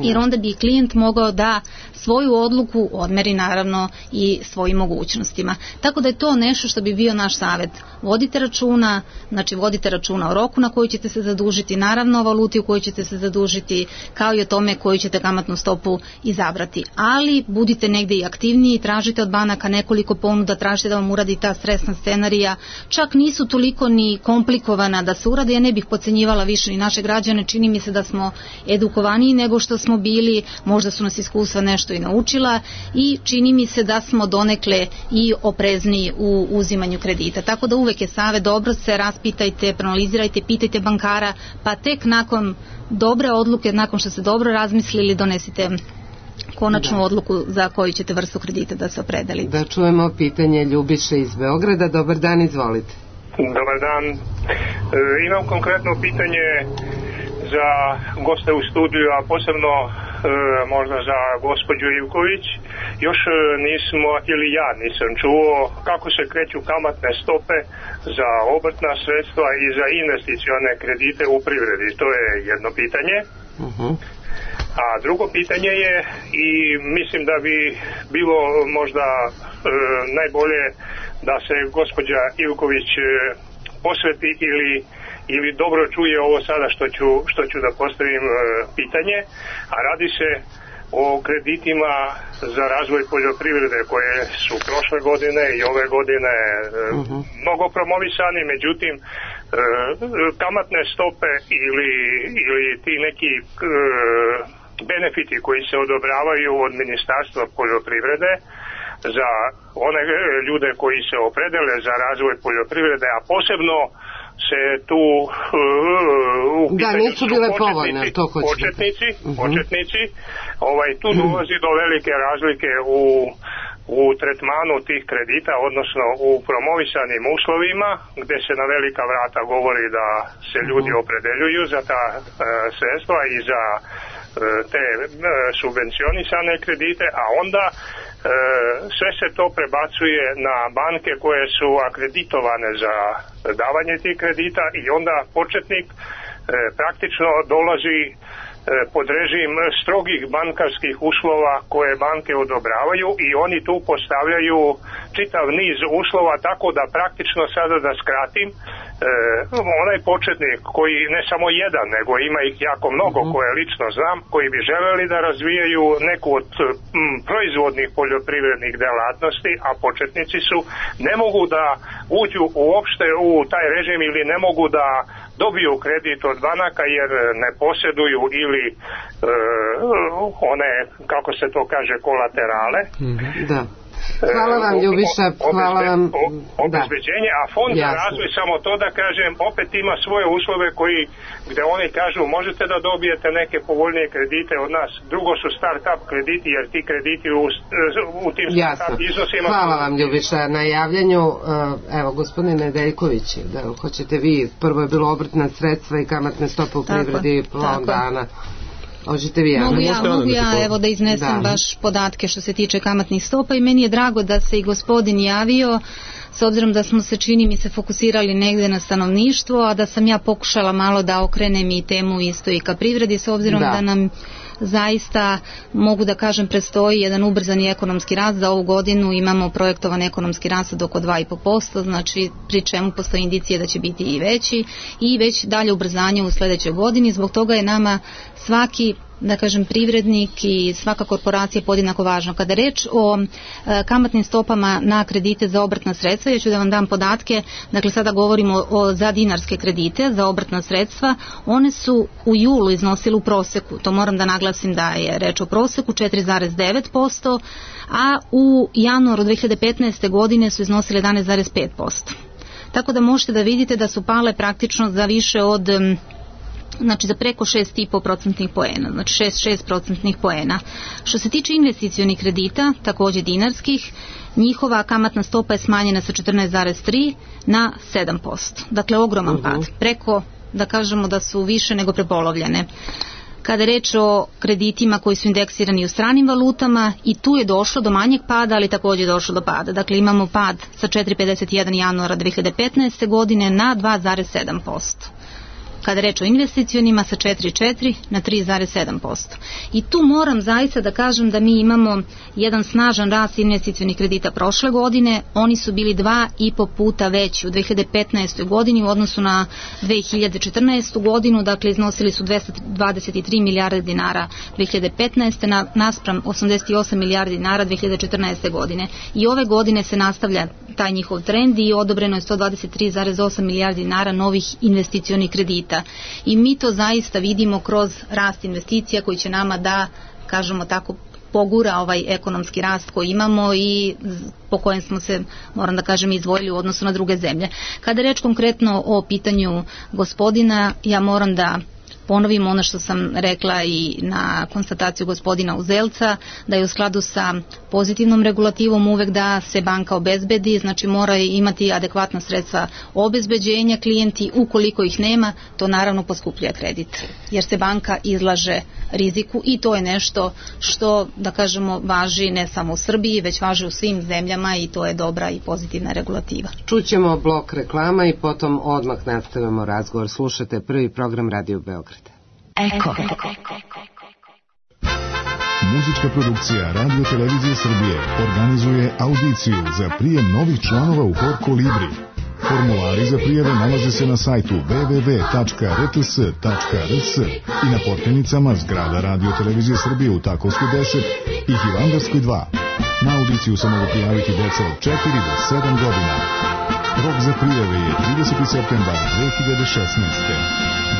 Jer onda bi klijent mogao da svoju odluku odmeri naravno i svojim mogućnostima. Tako da je to nešto što bi bio naš savjet. Vodite računa, znači vodite računa o roku na koji ćete se zadužiti, naravno o valuti u kojoj ćete se zadužiti, kao i o tome koju ćete kamatnu stopu izabrati. Ali budite negdje i aktivniji, tražite od banaka nekoliko ponuda, tražite da vam uradi ta stresna scenarija. Čak nisu toliko ni komplikovana da se urade, ja ne bih podcenjivala više ni naše građane, čini mi se da smo edukovaniji nego što smo bili, možda su nas iskustva nešto i naučila i čini mi se da smo donekle i oprezniji u uzimanju kredita. Tako da uvek je savjet, dobro se raspitajte, proanalizirajte, pitajte bankara, pa tek nakon dobre odluke, nakon što ste dobro razmislili, donesite konačnu da. odluku za koju ćete vrstu kredita da se opredelite. Da čujemo pitanje Ljubiše iz Beograda. Dobar dan, izvolite. Dobar dan. E, imam konkretno pitanje za goste u studiju, a posebno e, možda za gospođu Ivković. Još e, nismo, ili ja nisam čuo kako se kreću kamatne stope za obrtna sredstva i za investicione kredite u privredi. To je jedno pitanje. Uh-huh. A drugo pitanje je, i mislim da bi bilo možda e, najbolje da se gospođa Ivković e, posveti ili ili dobro čuje ovo sada što ću, što ću da postavim e, pitanje, a radi se o kreditima za razvoj poljoprivrede koje su prošle godine i ove godine e, uh-huh. mnogo promovisani, međutim e, kamatne stope ili, ili ti neki e, benefiti koji se odobravaju od Ministarstva poljoprivrede za one ljude koji se opredele za razvoj poljoprivrede, a posebno se tu uh, u da, nisu bile povoljne, to početnici, uh-huh. početnici, ovaj, tu dolazi do velike razlike u, u tretmanu tih kredita, odnosno u promovisanim uslovima, gde se na velika vrata govori da se ljudi uh-huh. opredeljuju za ta uh, sredstva i za uh, te uh, subvencionisane kredite, a onda E, sve se to prebacuje na banke koje su akreditovane za davanje tih kredita i onda početnik e, praktično dolazi e, pod režim strogih bankarskih uslova koje banke odobravaju i oni tu postavljaju čitav niz uslova, tako da praktično sada da skratim, e, onaj početnik koji ne samo jedan, nego ima ih jako mnogo koje lično znam, koji bi želeli da razvijaju neku od m, proizvodnih poljoprivrednih delatnosti, a početnici su, ne mogu da uđu uopšte u taj režim ili ne mogu da dobiju kredit od banaka jer ne posjeduju ili e, one, kako se to kaže, kolaterale. Da. Hvala vam, Ljubiša, hvala vam. Obezbeđenje, a fond za razvoj, samo to da kažem, opet ima svoje uslove koji, gde oni kažu možete da dobijete neke povoljnije kredite od nas. Drugo su start-up krediti, jer ti krediti u, u tim start-up iznosima... Hvala vam, Ljubiša, na javljanju. Evo, gospodine Nedeljković, da hoćete vi, prvo je bilo obrtna sredstva i kamatne stope u privredi plon dana. Vi, mogu ja, mogu ja evo da iznesem da. baš podatke što se tiče kamatnih stopa i meni je drago da se i gospodin javio, s obzirom da smo se, čini mi se, fokusirali negde na stanovništvo, a da sam ja pokušala malo da okrenem i temu isto i ka privredi, s obzirom da, da nam zaista, mogu da kažem, predstoji jedan ubrzani ekonomski rast. Za ovu godinu imamo projektovan ekonomski rast od oko dva i po posto, znači pri čemu postoji indicije da će biti i veći i već dalje ubrzanje u sledećoj godini. Zbog toga je nama svaki, da kažem, privrednik i svaka korporacija podjednako važno. Kada je reč o e, kamatnim stopama na kredite za obrtna sredstva, ja ću da vam dam podatke, dakle sada govorimo o, za dinarske kredite za obrtna sredstva, one su u julu iznosile u proseku, to moram da naglasim da je reč o proseku, četiri zarez devet posto, a u januaru dve hiljade petnaeste. godine su iznosile jedanaest zarez pet posto. Tako da možete da vidite da su pale praktično za više od... znači za preko šest i po procentnih poena, znači šest zarez šest procentnih poena. Što se tiče investicionih kredita, takođe dinarskih, njihova kamatna stopa je smanjena sa četrnaest zarez tri na sedam posto. Dakle, ogroman uh-huh. pad. Preko, da kažemo da su više nego prepolovljene. Kada je reč o kreditima koji su indeksirani u stranim valutama, i tu je došlo do manjeg pada, ali takođe je došlo do pada. Dakle, imamo pad sa četiri zarez pedeset jedan januara dve hiljade petnaeste. godine na dva zarez sedam posto. Kada je reč o investicionima sa četiri zarez četiri na tri zarez sedam posto. I tu moram zaista da kažem da mi imamo jedan snažan rast investicionih kredita prošle godine. Oni su bili dva i po puta veći u dve hiljade petnaestoj. godini u odnosu na dve hiljade četrnaestu. godinu, dakle iznosili su dvesta dvadeset tri milijarde dinara dve hiljade petnaeste. Na, naspram osamdeset osam milijardi dinara dve hiljade četrnaeste. godine. I ove godine se nastavlja taj njihov trend i odobreno je sto dvadeset tri zarez osam milijardi dinara novih investicionih kredita. I mi to zaista vidimo kroz rast investicija koji će nama da, kažemo tako, pogura ovaj ekonomski rast koji imamo i po kojem smo se, moram da kažem, izdvojili u odnosu na druge zemlje. Kada je reč konkretno o pitanju gospodina, ja moram da ponovim ono što sam rekla i na konstataciju gospodina Uzelca, da je u skladu sa pozitivnom regulativom uvek da se banka obezbedi, znači mora imati adekvatna sredstva obezbeđenja, klijenti ukoliko ih nema, to naravno poskupljuje kredit, jer se banka izlaže riziku i to je nešto što, da kažemo, važi ne samo u Srbiji, već važi u svim zemljama i to je dobra i pozitivna regulativa. Čućemo blok reklama i potom odmah nastavimo razgovor. Slušate prvi program Radio Beograd. Eko. Muzička produkcija Radio Televizije Srbije organizuje audiciju za prijem novih članova u Hor Kolibri. Formulari za prijave nalaze se na sajtu w w w tačka r t s tačka r s i na potpenicama zgrada Radio Televizije Srbije u Takovskoj deset i Hilandarskoj dva. Na audiciju se mogu prijaviti deca od četiri do sedam godina. Rok za prijave je trideseti septembar dve hiljade šesnaeste.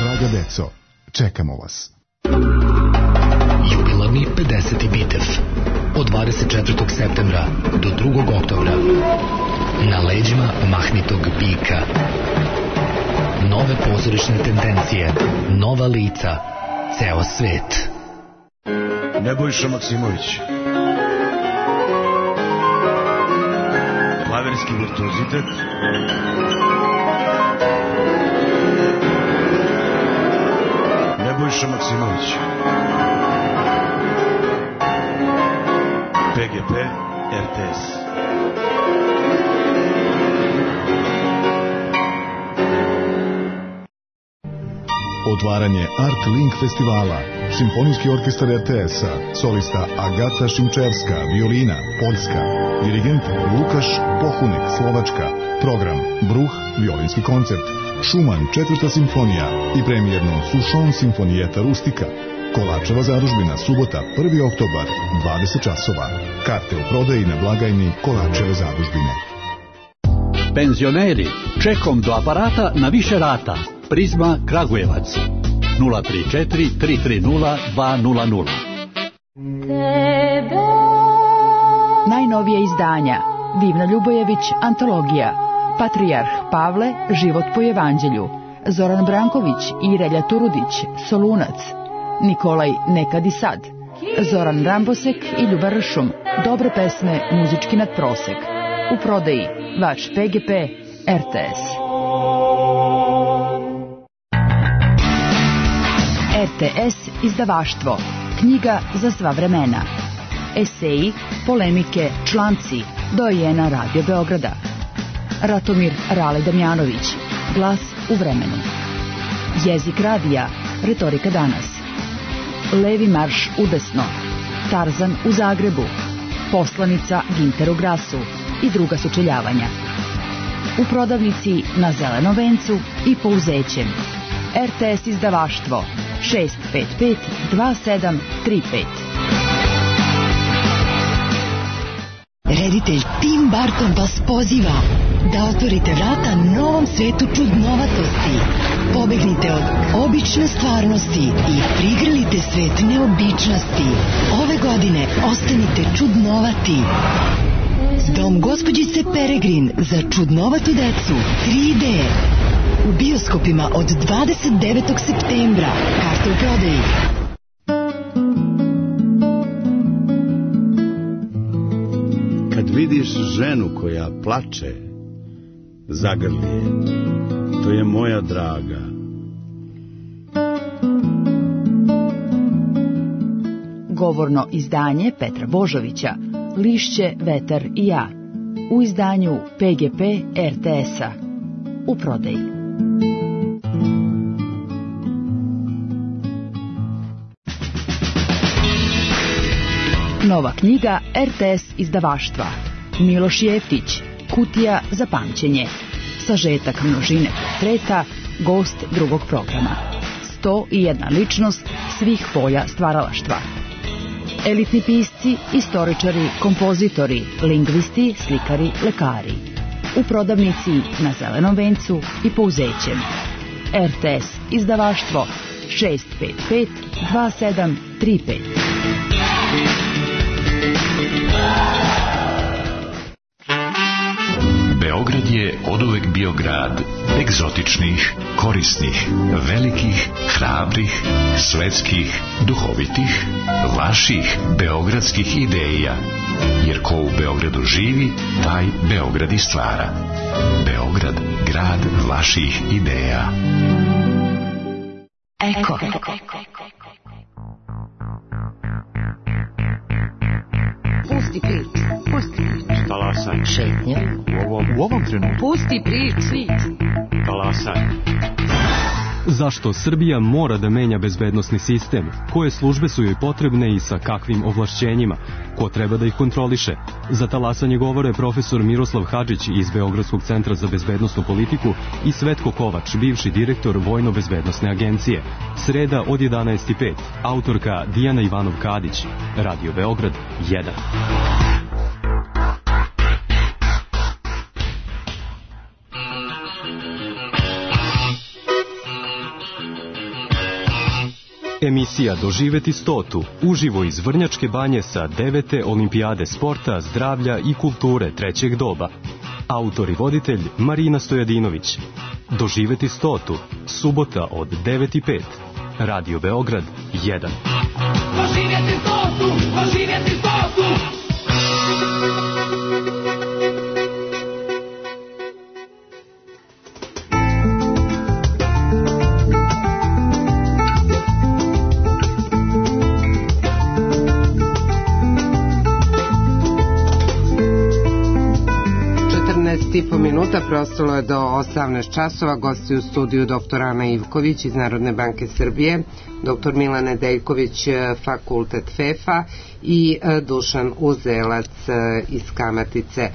Draga deco, čekamo vas. Jubilarni pedeseti Bitev od dvadeset četvrtog septembra do drugog oktobra. Na leđima mahnitog bika. Nove pozorišne tendencije, nova lica, ceo svet. Nebojša Maksimović. Klaverski virtuozitet. Nebojša Maksimović. P G P R T S. Otvaranje Art Link festivala. Simfonijski orkestar R T S-a, solista Agata Šimčevska, violina, Poljska, dirigent Lukaš Pohunek, Slovačka, program Bruh, violinski koncert, Šuman, četvrta simfonija i premijerno Sušon simfonijeta Rustika. Kolačeva zadužbina, subota, prvi oktobar, dvadeset časova. Karte u prodaji na blagajni Kolačeve zadužbine. Penzioneri, čekom do aparata na više rata. Prizma Kragujevac nula tri četiri tri tri nula dva nula nula. Najnovije izdanja Divna Ljubojević, antologija, Patrijarh Pavle, život po evanđelju, Zoran Branković i Relja Turudić, Solunac, Nikolaj Nekad i sad, Zoran Rambosek i Ljuba Ršum, dobre pesme, muzički nadprosek. U prodaji vaš P G P R T S. R T S izdavaštvo, knjiga za sva vremena. Eseji, polemike, članci, dojena Radio Beograda. Ratomir Rale Damjanović, glas u vremenu. Jezik radija, retorika danas. Levi marš udesno, Tarzan u Zagrebu, poslanica Ginteru Grasu i druga sučeljavanja. U prodavnici na Zelenom vencu i Pouzećem. R T S izdavaštvo šest pet pet dva sedam tri pet. Reditelj Tim Burton vas poziva da otvorite vrata novom svetu čudnovatosti. Pobegnite od obične stvarnosti i prigrlite svet neobičnosti. Ove godine ostanite čudnovati. Dom gospođice Peregrin za čudnovatu decu tri D. U bioskopima od dvadeset devetog septembra. Karte u prodaji. Kad vidiš ženu koja plače, zagrli je. To je moja draga. Govorno izdanje Petra Božovića, Lišće, vetar i ja. U izdanju P G P R T S-a. U prodaji. Nova knjiga R T S izdavaštva. Miloš Jeftić, Kutija za pamćenje. Sažetak množine portreta, gost drugog programa. sto i jedna ličnost svih polja stvaralaštva. Elitni pisci, istoričari, kompozitori, lingvisti, slikari, lekari. U prodavnici na Zelenom vencu i Pouzećem. R T S izdavaštvo šest pet pet dva sedam tri pet. Beograd je oduvek bio grad egzotičnih, korisnih, velikih, hrabrih, svetskih, duhovitih, vaših beogradskih ideja. Jer ko u Beogradu živi, taj Beograd i stvara. Beograd, grad vaših ideja. Eko. Pusti priču, pusti priču. Talasaj. Šetnja. U ovom, u ovom trenutku. Pusti priču. Talasaj. Zašto Srbija mora da menja bezbednosni sistem? Koje službe su joj potrebne i sa kakvim ovlašćenjima? Ko treba da ih kontroliše? Za talasanje govore profesor Miroslav Hadžić iz Beogradskog centra za bezbednosnu politiku i Svetko Kovač, bivši direktor Vojno-bezbednosne agencije. Sreda od jedanaest i pet. Autorka Dijana Ivanov-Kadić. Radio Beograd jedan. Emisija Doživeti stotu, uživo iz Vrnjačke banje sa devete olimpijade sporta, zdravlja i kulture trećeg doba. Autor i voditelj Marina Stojadinović. Doživeti stotu, subota od devet i pet. Radio Beograd jedan. Doživeti stotu, doživeti stotu. i po minuta, preostalo je do osamnaest časova. Gosti u studiju doktor Ana Ivković iz Narodne banke Srbije, doktor Milan Nedeljković, fakultet FEFA i Dušan Uzelac iz Kamatice.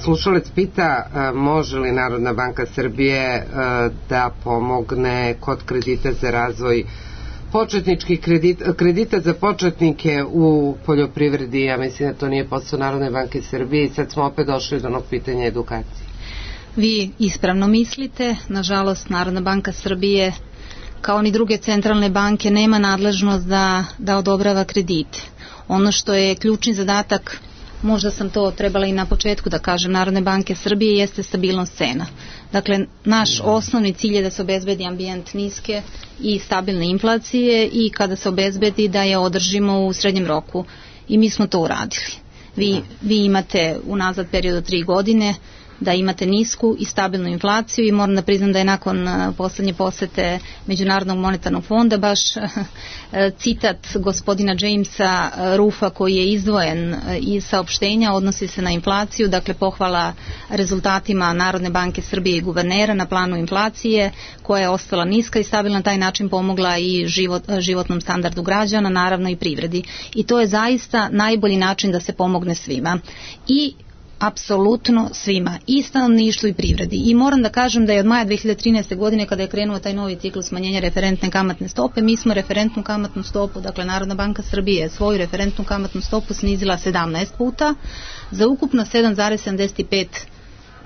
Slušalac pita može li Narodna banka Srbije da pomogne kod kredita za razvoj početničkih kredita, kredita za početnike u poljoprivredi. Ja mislim da to nije posao Narodne banke Srbije i sad smo opet došli do onog pitanja edukacije. Vi ispravno mislite, nažalost Narodna banka Srbije kao ni druge centralne banke nema nadležnost da, da odobrava kredite. Ono što je ključni zadatak, možda sam to trebala i na početku da kažem, Narodne banke Srbije jeste stabilnost cena. Dakle, naš osnovni cilj je da se obezbedi ambijent niske i stabilne inflacije i kada se obezbedi da je održimo u srednjem roku. I mi smo to uradili. Vi, vi imate unazad period od tri godine da imate nisku i stabilnu inflaciju i moram da priznam da je nakon poslednje posete Međunarodnog monetarnog fonda baš citat gospodina Jamesa Rufa koji je izdvojen iz saopštenja odnosi se na inflaciju, dakle pohvala rezultatima Narodne banke Srbije i guvernera na planu inflacije koja je ostala niska i stabilna, na taj način pomogla i život, životnom standardu građana, naravno i privredi. I to je zaista najbolji način da se pomogne svima. I apsolutno svima, i stanovništvu i privredi. I moram da kažem da je od maja dve hiljade trinaeste. godine kada je krenuo taj novi ciklus smanjenja referentne kamatne stope, mi smo referentnu kamatnu stopu, dakle Narodna banka Srbije svoju referentnu kamatnu stopu snizila sedamnaest puta za ukupno sedam zarez sedamdeset pet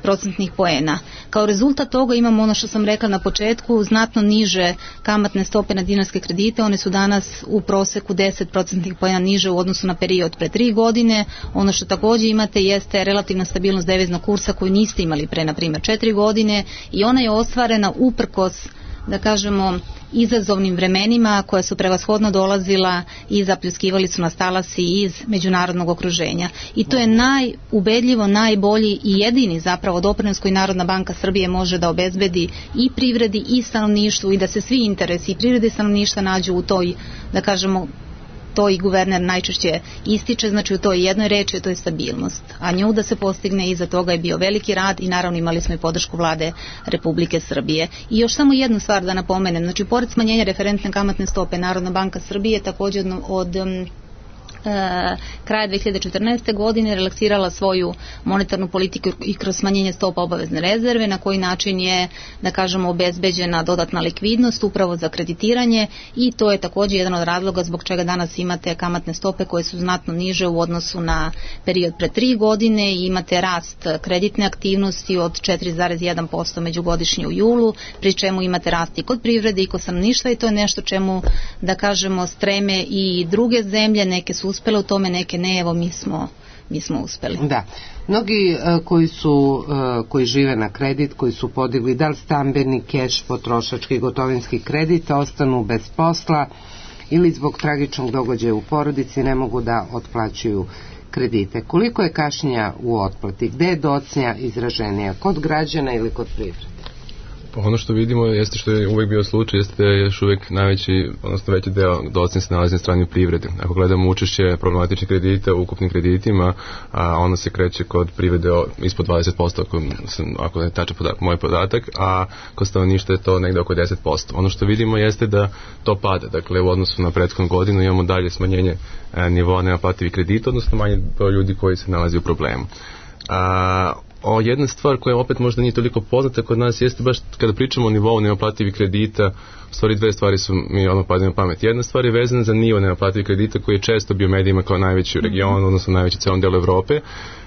procentnih poena. Kao rezultat toga imamo ono što sam rekla na početku, znatno niže kamatne stope na dinarske kredite, one su danas u proseku deset procentnih poena niže u odnosu na period pre tri godine. Ono što također imate jeste relativna stabilnost deviznog kursa koju niste imali pre, na primjer, četiri godine i ona je ostvarena uprkos, da kažemo, izazovnim vremenima koja su prevashodno dolazila i zapljuskivali su nas talasi iz međunarodnog okruženja. I to je najubedljivo, najbolji i jedini zapravo doprinos koji Narodna banka Srbije može da obezbedi i privredi i stanovništvu i da se svi interesi i privrede i stanovništva nađu u toj, da kažemo, to i guverner najčešće ističe, znači u toj jednoj reči, to je stabilnost. A nju da se postigne, iza toga je bio veliki rad i naravno imali smo i podršku vlade Republike Srbije. I još samo jednu stvar da napomenem, znači pored smanjenja referentne kamatne stope, Narodna banka Srbije također od, od E, kraja dve hiljade četrnaeste. godine relaksirala svoju monetarnu politiku i kroz smanjenje stopa obavezne rezerve, na koji način je, da kažemo, obezbeđena dodatna likvidnost upravo za kreditiranje i to je također jedan od razloga zbog čega danas imate kamatne stope koje su znatno niže u odnosu na period pre tri godine i imate rast kreditne aktivnosti od četiri zarez jedan posto međugodišnje u julu, pri čemu imate rast i kod privrede i kod stanovništva i to je nešto čemu, da kažemo, streme i druge zemlje, neke su uspjele u tome, neke ne, evo mi smo mi smo uspeli. Da. Mnogi uh, koji su uh, koji žive na kredit, koji su podigli da li stambeni, keš, potrošački, gotovinski kredit, ostanu bez posla ili zbog tragičnog događaja u porodici ne mogu da otplaćuju kredite. Koliko je kašnjenja u otplati? Gde je docnja izraženija? Kod građana ili kod privrede? Pa ono što vidimo jeste što je uvijek bio slučaj, jeste da je još uvijek najveći, odnosno veći deo docnje se nalazi na strani privrede. Ako gledamo učešće problematičnih kredita u ukupnim kreditima, a ono se kreće kod privrede ispod dvadeset posto, ako, ako ne tačan podatak, moj podatak, a kod stanovništva je to negde oko deset posto. Ono što vidimo jeste da to pada, dakle u odnosu na prethodnu godinu imamo dalje smanjenje a, nivoa nenaplativih kredita, odnosno manje broj ljudi koji se nalazi u problemu. A, O, jedna stvar koja opet možda nije toliko poznata kod nas jeste baš kada pričamo o nivou nenaplativih kredita, u stvari dve stvari su mi odmah padaju na pamet. Jedna stvar je vezana za nivo nenaplativih kredita koji je često bio medijima kao najveći u regionu, odnosno najveći u celom delu Evrope.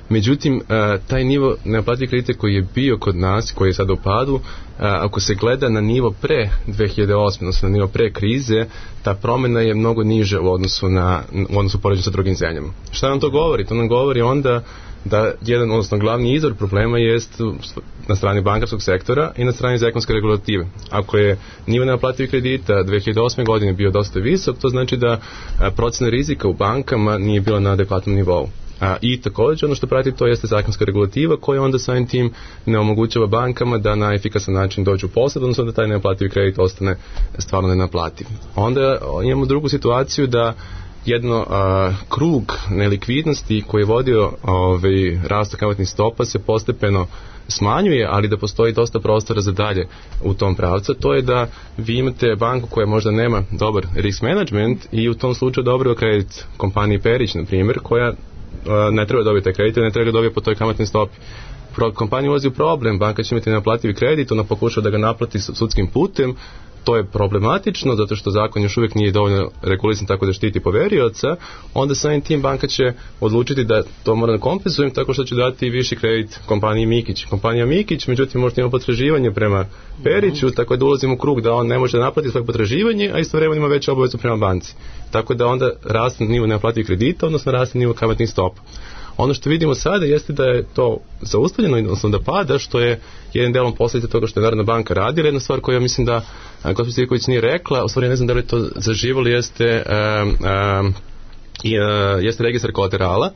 Međutim, taj nivo nenaplativih kredita koji je bio kod nas, koji je sada u padu, ako se gleda na nivo pre dve hiljade osme, odnosno na nivo pre krize, ta promjena je mnogo niža u odnosu na u odnosu poređenju sa drugim zemljama. Šta nam to govori? To nam govori onda da jedan, odnosno glavni izvor problema jest na strani bankarskog sektora i na strani zakonske regulative. Ako je nivo nenaplativih kredita dve hiljade osme godine bio dosta visok, to znači da procena rizika u bankama nije bila na adekvatnom nivou. A, I također ono što prati to jeste zakonska regulativa koja onda samim tim ne omogućava bankama da na efikasan način dođu u posjed, odnosno da taj nenaplativi kredit ostane stvarno nenaplativ. Onda imamo drugu situaciju da jedno a, krug nelikvidnosti koji je vodio ovaj, rastu kamatnih stopa se postepeno smanjuje, ali da postoji dosta prostora za dalje u tom pravcu. To je da vi imate banku koja možda nema dobar risk management i u tom slučaju dobro kredit kompaniji Perić, na primjer, koja ne treba dobiti taj kredit, ne treba ga dobiti po toj kamatnoj stopi. Kompanija ulazi u problem, banka će imati nenaplativi kredit, ona pokušava da ga naplati sudskim putem, to je problematično zato što zakon još uvijek nije dovoljno regulisan tako da štiti poverioca, onda samim tim banka će odlučiti da to mora da kompenzujem tako što će dati viši kredit kompaniji Mikić. Kompanija Mikić, međutim, možda ima potraživanje prema Periću, tako da ulazimo u krug da on ne može da naplati svoje potraživanje, a istovremeno ima veću obavezu prema banci. Tako da onda raste nivo nenaplativih kredita, odnosno raste nivo kamatnih stopa. Ono što vidimo sada jeste da je to zaustavljeno, odnosno da pada, što je jedan delom posljedica toga što je Narodna banka radila. Jedna stvar koju ja mislim da gospođa Sivković nije rekla, u stvari ne znam da li to zaživalo, jeste, um, um, uh, jeste registar kolaterala.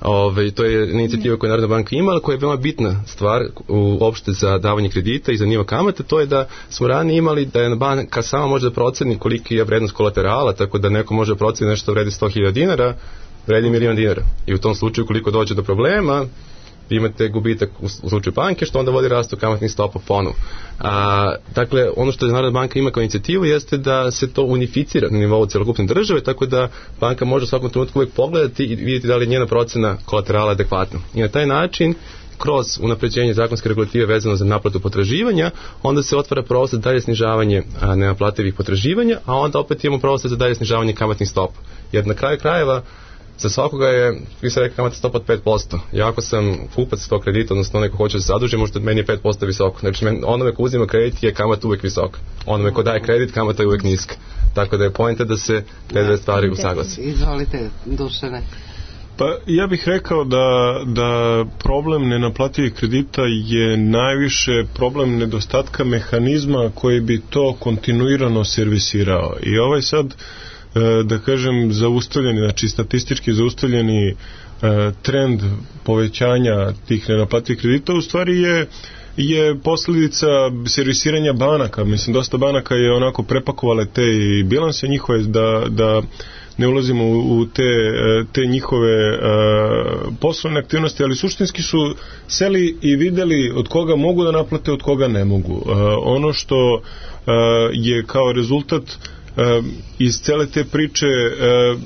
Ove, to je inicijativa koju je Narodna banka imala, koja je veoma bitna stvar uopšte za davanje kredita i za nivo kamate. To je da smo ranije imali da je banka sama može da proceni koliki je vrednost kolaterala, tako da neko može da proceni nešto vredi sto hiljada dinara, vredi milion dinara. I u tom slučaju koliko dođe do problema, imate gubitak u slučaju banke, što onda vodi rastu kamatnih stopa ponovo. A, dakle, ono što je Narodna banka ima kao inicijativu jeste da se to unificira na nivou celokupne države, tako da banka može u svakom trenutku uvijek pogledati i vidjeti da li je njena procena kolaterala adekvatna. I na taj način, kroz unapređenje zakonske regulative vezano za naplatu potraživanja, onda se otvara prostor za dalje snižavanje a, nenaplativih potraživanja, a onda opet imamo prostor za dalje snižavanje kamatnih stopa. Jer na kraju krajeva za svakoga je, vi ste rekli, kamatna stopa od pet posto. Ja ako sam kupac tog kredita, odnosno neko hoće da se zaduži, možda meni je pet posto visoko. Znači, onome ko uzima kredit je kamata uvek visoka. Onome ko daje kredit, kamata je uvek niska. Tako da je poenta da se te dve stvari usaglase. Izvolite, Dušane. Pa ja bih rekao da, da problem nenaplativih kredita je najviše problem nedostatka mehanizma koji bi to kontinuirano servisirao. I ovaj sad, da kažem, zaustavljeni, znači statistički zaustavljeni trend povećanja tih nenaplativih kredita u stvari je je posljedica servisiranja banaka. Mislim, dosta banaka je onako prepakovale te bilanse njihove da, da ne ulazimo u te, te njihove uh, poslovne aktivnosti, ali suštinski su seli i videli od koga mogu da naplate, od koga ne mogu. Uh, ono što uh, je kao rezultat Uh, iz cele te priče uh,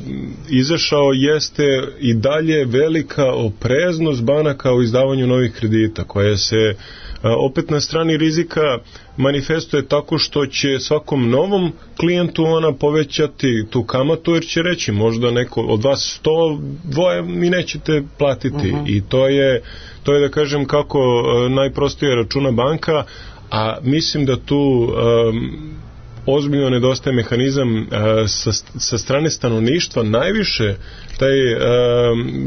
izašao jeste i dalje velika opreznost banaka u izdavanju novih kredita, koja se uh, opet na strani rizika manifestuje tako što će svakom novom klijentu ona povećati tu kamatu, jer će reći možda neko od vas sto dvoje mi nećete platiti. Uh-huh. I to je, to je da kažem kako uh, najprostije računa banka, a mislim da tu um, ozbiljno nedostaje mehanizam sa, sa strane stanovništva, najviše taj uh,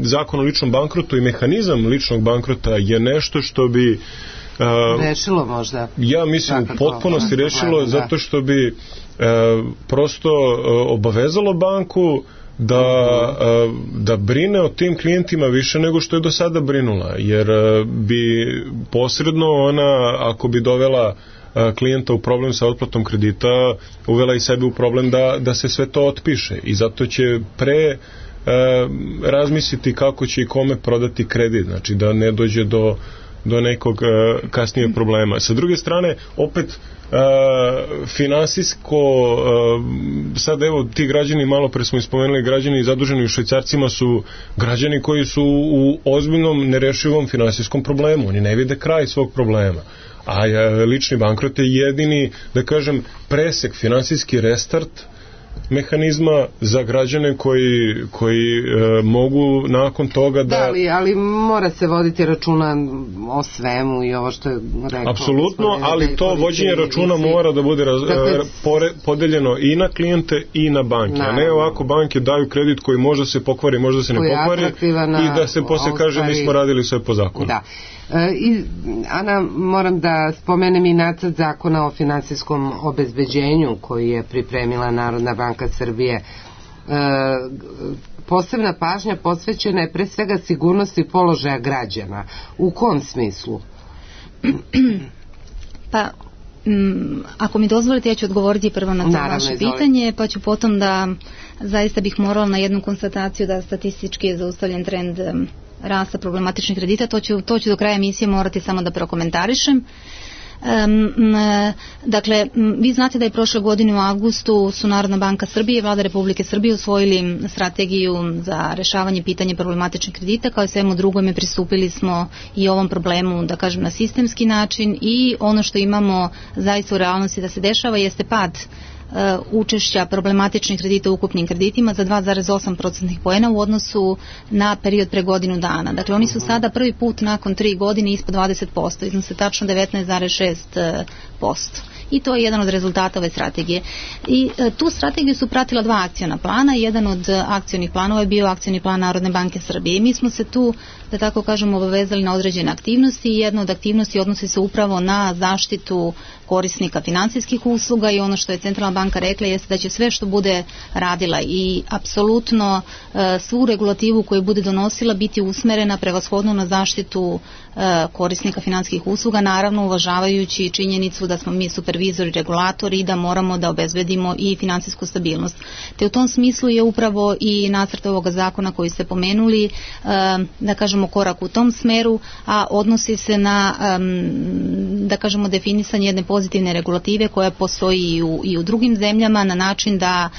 zakon o ličnom bankrotu i mehanizam ličnog bankrota je nešto što bi uh, rešilo možda. Ja mislim u potpunosti rešilo, da. Zato što bi uh, prosto uh, obavezalo banku da, uh, da brine o tim klijentima više nego što je do sada brinula, jer uh, bi posredno ona, ako bi dovela klijenta u problem sa otplatom kredita, uvela i sebe u problem da, da se sve to otpiše, i zato će pre e, razmisliti kako će i kome prodati kredit, znači da ne dođe do, do nekog e, kasnijeg problema. Sa druge strane, opet e, finansijsko e, sad evo ti građani, malo pre smo ispomenuli, građani zaduženi u švajcarcima su građani koji su u ozbiljnom nerešivom finansijskom problemu, oni ne vide kraj svog problema. A lični bankrot je jedini, da kažem, presek, finansijski restart mehanizma za građane koji, koji e, mogu nakon toga da... Da, ali, ali mora se voditi računa o svemu i ovo što je rekao. Apsolutno, ali to vođenje računa mora da bude raz, dakle, pore, podeljeno i na klijente i na banke. Na, a ne ovako banke daju kredit koji možda se pokvari, možda se ne pokvari i da se posle kaže mi smo radili sve po zakonu. Da. I, Ana, moram da spomenem i nacrt zakona o finansijskom obezbeđenju koji je pripremila Narodna banka Srbije. E, posebna pažnja posvećena je pre svega sigurnosti položaja građana. U kom smislu? Pa, m, ako mi dozvolite, ja ću odgovoriti prvo na to Naravno, vaše izvolite. pitanje, pa ću potom da zaista bih morala na jednu konstataciju da statistički je zaustavljen trend rasta problematičnih kredita, to ću, to ću do kraja emisije morati samo da prokomentarišem. Um, dakle, vi znate da je prošle godine u avgustu su Narodna banka Srbije i Vlada Republike Srbije usvojili strategiju za rešavanje pitanja problematičnih kredita, kao i svemu drugome pristupili smo i ovom problemu, da kažem, na sistemski način, i ono što imamo zaista u realnosti da se dešava jeste pad učešća problematičnih kredita u ukupnim kreditima za dva zarez osam procentnih poena u odnosu na period pre godinu dana. Dakle, oni su sada prvi put nakon tri godine ispod dvadeset posto, iznose tačno devetnaest zarez šest posto. I to je jedan od rezultata ove strategije. I e, tu strategiju su pratila dva akciona plana. Jedan od akcionih planova je bio akcioni plan Narodne banke Srbije. I mi smo se tu, da tako kažemo, obavezali na određene aktivnosti, i jedna od aktivnosti odnosi se upravo na zaštitu korisnika finansijskih usluga, i ono što je Centralna banka rekla jeste da će sve što bude radila i apsolutno e, svu regulativu koju bude donosila biti usmerena prevashodno na zaštitu e, korisnika finansijskih usluga, naravno uvažavajući činjenicu da smo mi supervizori, regulatori i da moramo da obezbedimo i finansijsku stabilnost. Te u tom smislu je upravo i nacrt ovoga zakona koji ste pomenuli, e, da kažemo, korak u tom smeru, a odnosi se na, e, da kažemo, definisanje jedne pozitivne regulative koja postoji i u, i u drugim zemljama, na način da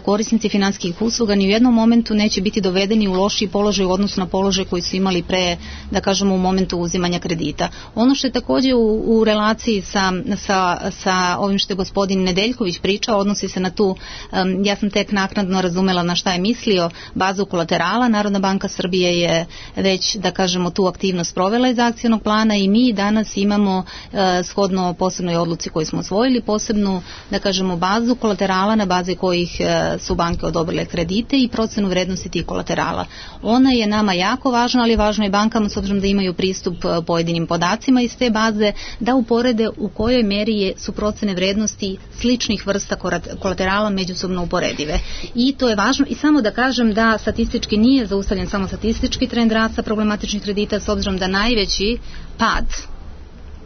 korisnici finansijskih usluga ni u jednom momentu neće biti dovedeni u lošiji položaj u odnosu na položaj koji su imali pre, da kažemo, u momentu uzimanja kredita. Ono što je takođe u, u relaciji sa, sa, sa ovim što je gospodin Nedeljković pričao, odnosi se na tu, um, ja sam tek naknadno razumela na šta je mislio, bazu kolaterala. Narodna banka Srbije je već, da kažemo, tu aktivnost provela iz akcionog plana, i mi danas imamo uh, shodno posebnoj odluci koju smo osvojili, posebnu, da kažemo, bazu kolaterala na bazi kojih uh, su banke odobrile kredite i procenu vrednosti tih kolaterala. Ona je nama jako važna, ali je važno i bankama, s obzirom da imaju pristup uh, pojedinim podacima iz te baze, da uporede u kojoj meri je, su procene vrednosti sličnih vrsta kolaterala međusobno uporedive. I to je važno. I samo da kažem da statistički nije zaustavljen samo statistički trend rasta problematičnih kredita, s obzirom da najveći pad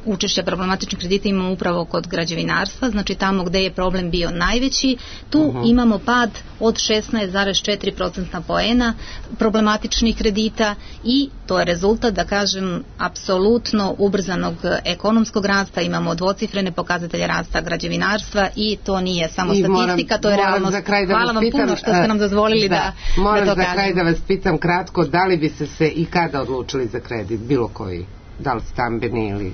učešća problematičnih kredita imamo upravo kod građevinarstva, znači tamo gde je problem bio najveći, tu uh-huh. imamo pad od šesnaest zarez četiri procentna poena problematičnih kredita, i to je rezultat, da kažem, apsolutno ubrzanog ekonomskog rasta. Imamo dvocifrene pokazatelje rasta građevinarstva, i to nije samo I statistika, moram, to je realnost. Hvala vam pitam, puno što ste nam dozvolili da, da, moram da to za kažem. kraj da vas pitam kratko, da li bi se se i kada odlučili za kredit, bilo koji, da li stambeni ili...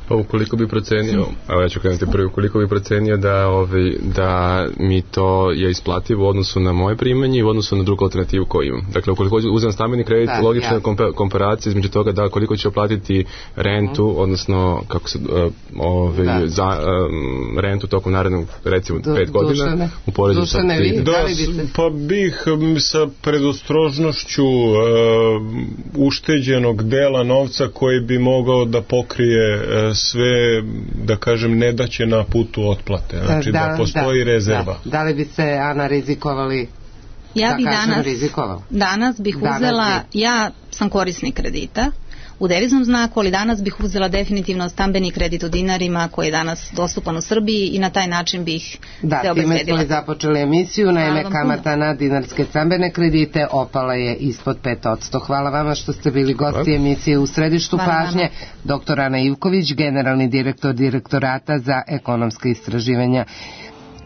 Pa ukoliko bi procenio, evo ja ću krenuti prvi, ukoliko bi procenio da, ovaj, da mi to je isplativo u odnosu na moje primanje i u odnosu na drugu alternativu koju imam. Dakle, ukoliko uzem stambeni kredit, da, logična je ja. komparacija između toga da koliko će platiti rentu, mm. odnosno kako se, uh, ovaj, za um, rentu tokom narednog, recimo, du, pet godina, dušane, u poređu sa tri. Da, pa bih sa predostrožnošću uh, ušteđenog dela novca koji bi mogao da pokrije uh, sve, da kažem, nedaće na putu otplate. Znači da, da postoji da, rezerva. Da. da li bi se, Ana, rizikovali? Ja da bih danas, rizikovali? danas bih danas uzela, bi... ja sam korisnik kredita u deviznom znaku, ali danas bih uzela definitivno stambeni kredit u dinarima koji je danas dostupan u Srbiji i na taj način bih da, se obezbedila. Da, time smo započeli emisiju, naime kamata na dinarske stambene kredite opala je ispod pet posto. Hvala vama što ste bili gosti emisije U središtu Hvala pažnje. Vama. Doktor Ana Ivković, generalni direktor Direktorata za ekonomska istraživanja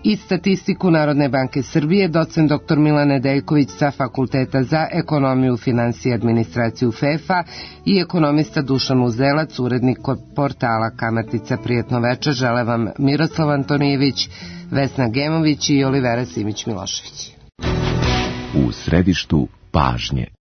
i statistiku Narodne banke Srbije, docent doktor Milan Nedeljković sa Fakulteta za ekonomiju, finansije i administraciju F E F A i ekonomista Dušan Uzelac, urednik portala Kamatica. Prijetno večer, žele vam Miroslav Antonijević, Vesna Gemović i Olivera Simić Milošević. U središtu pažnje.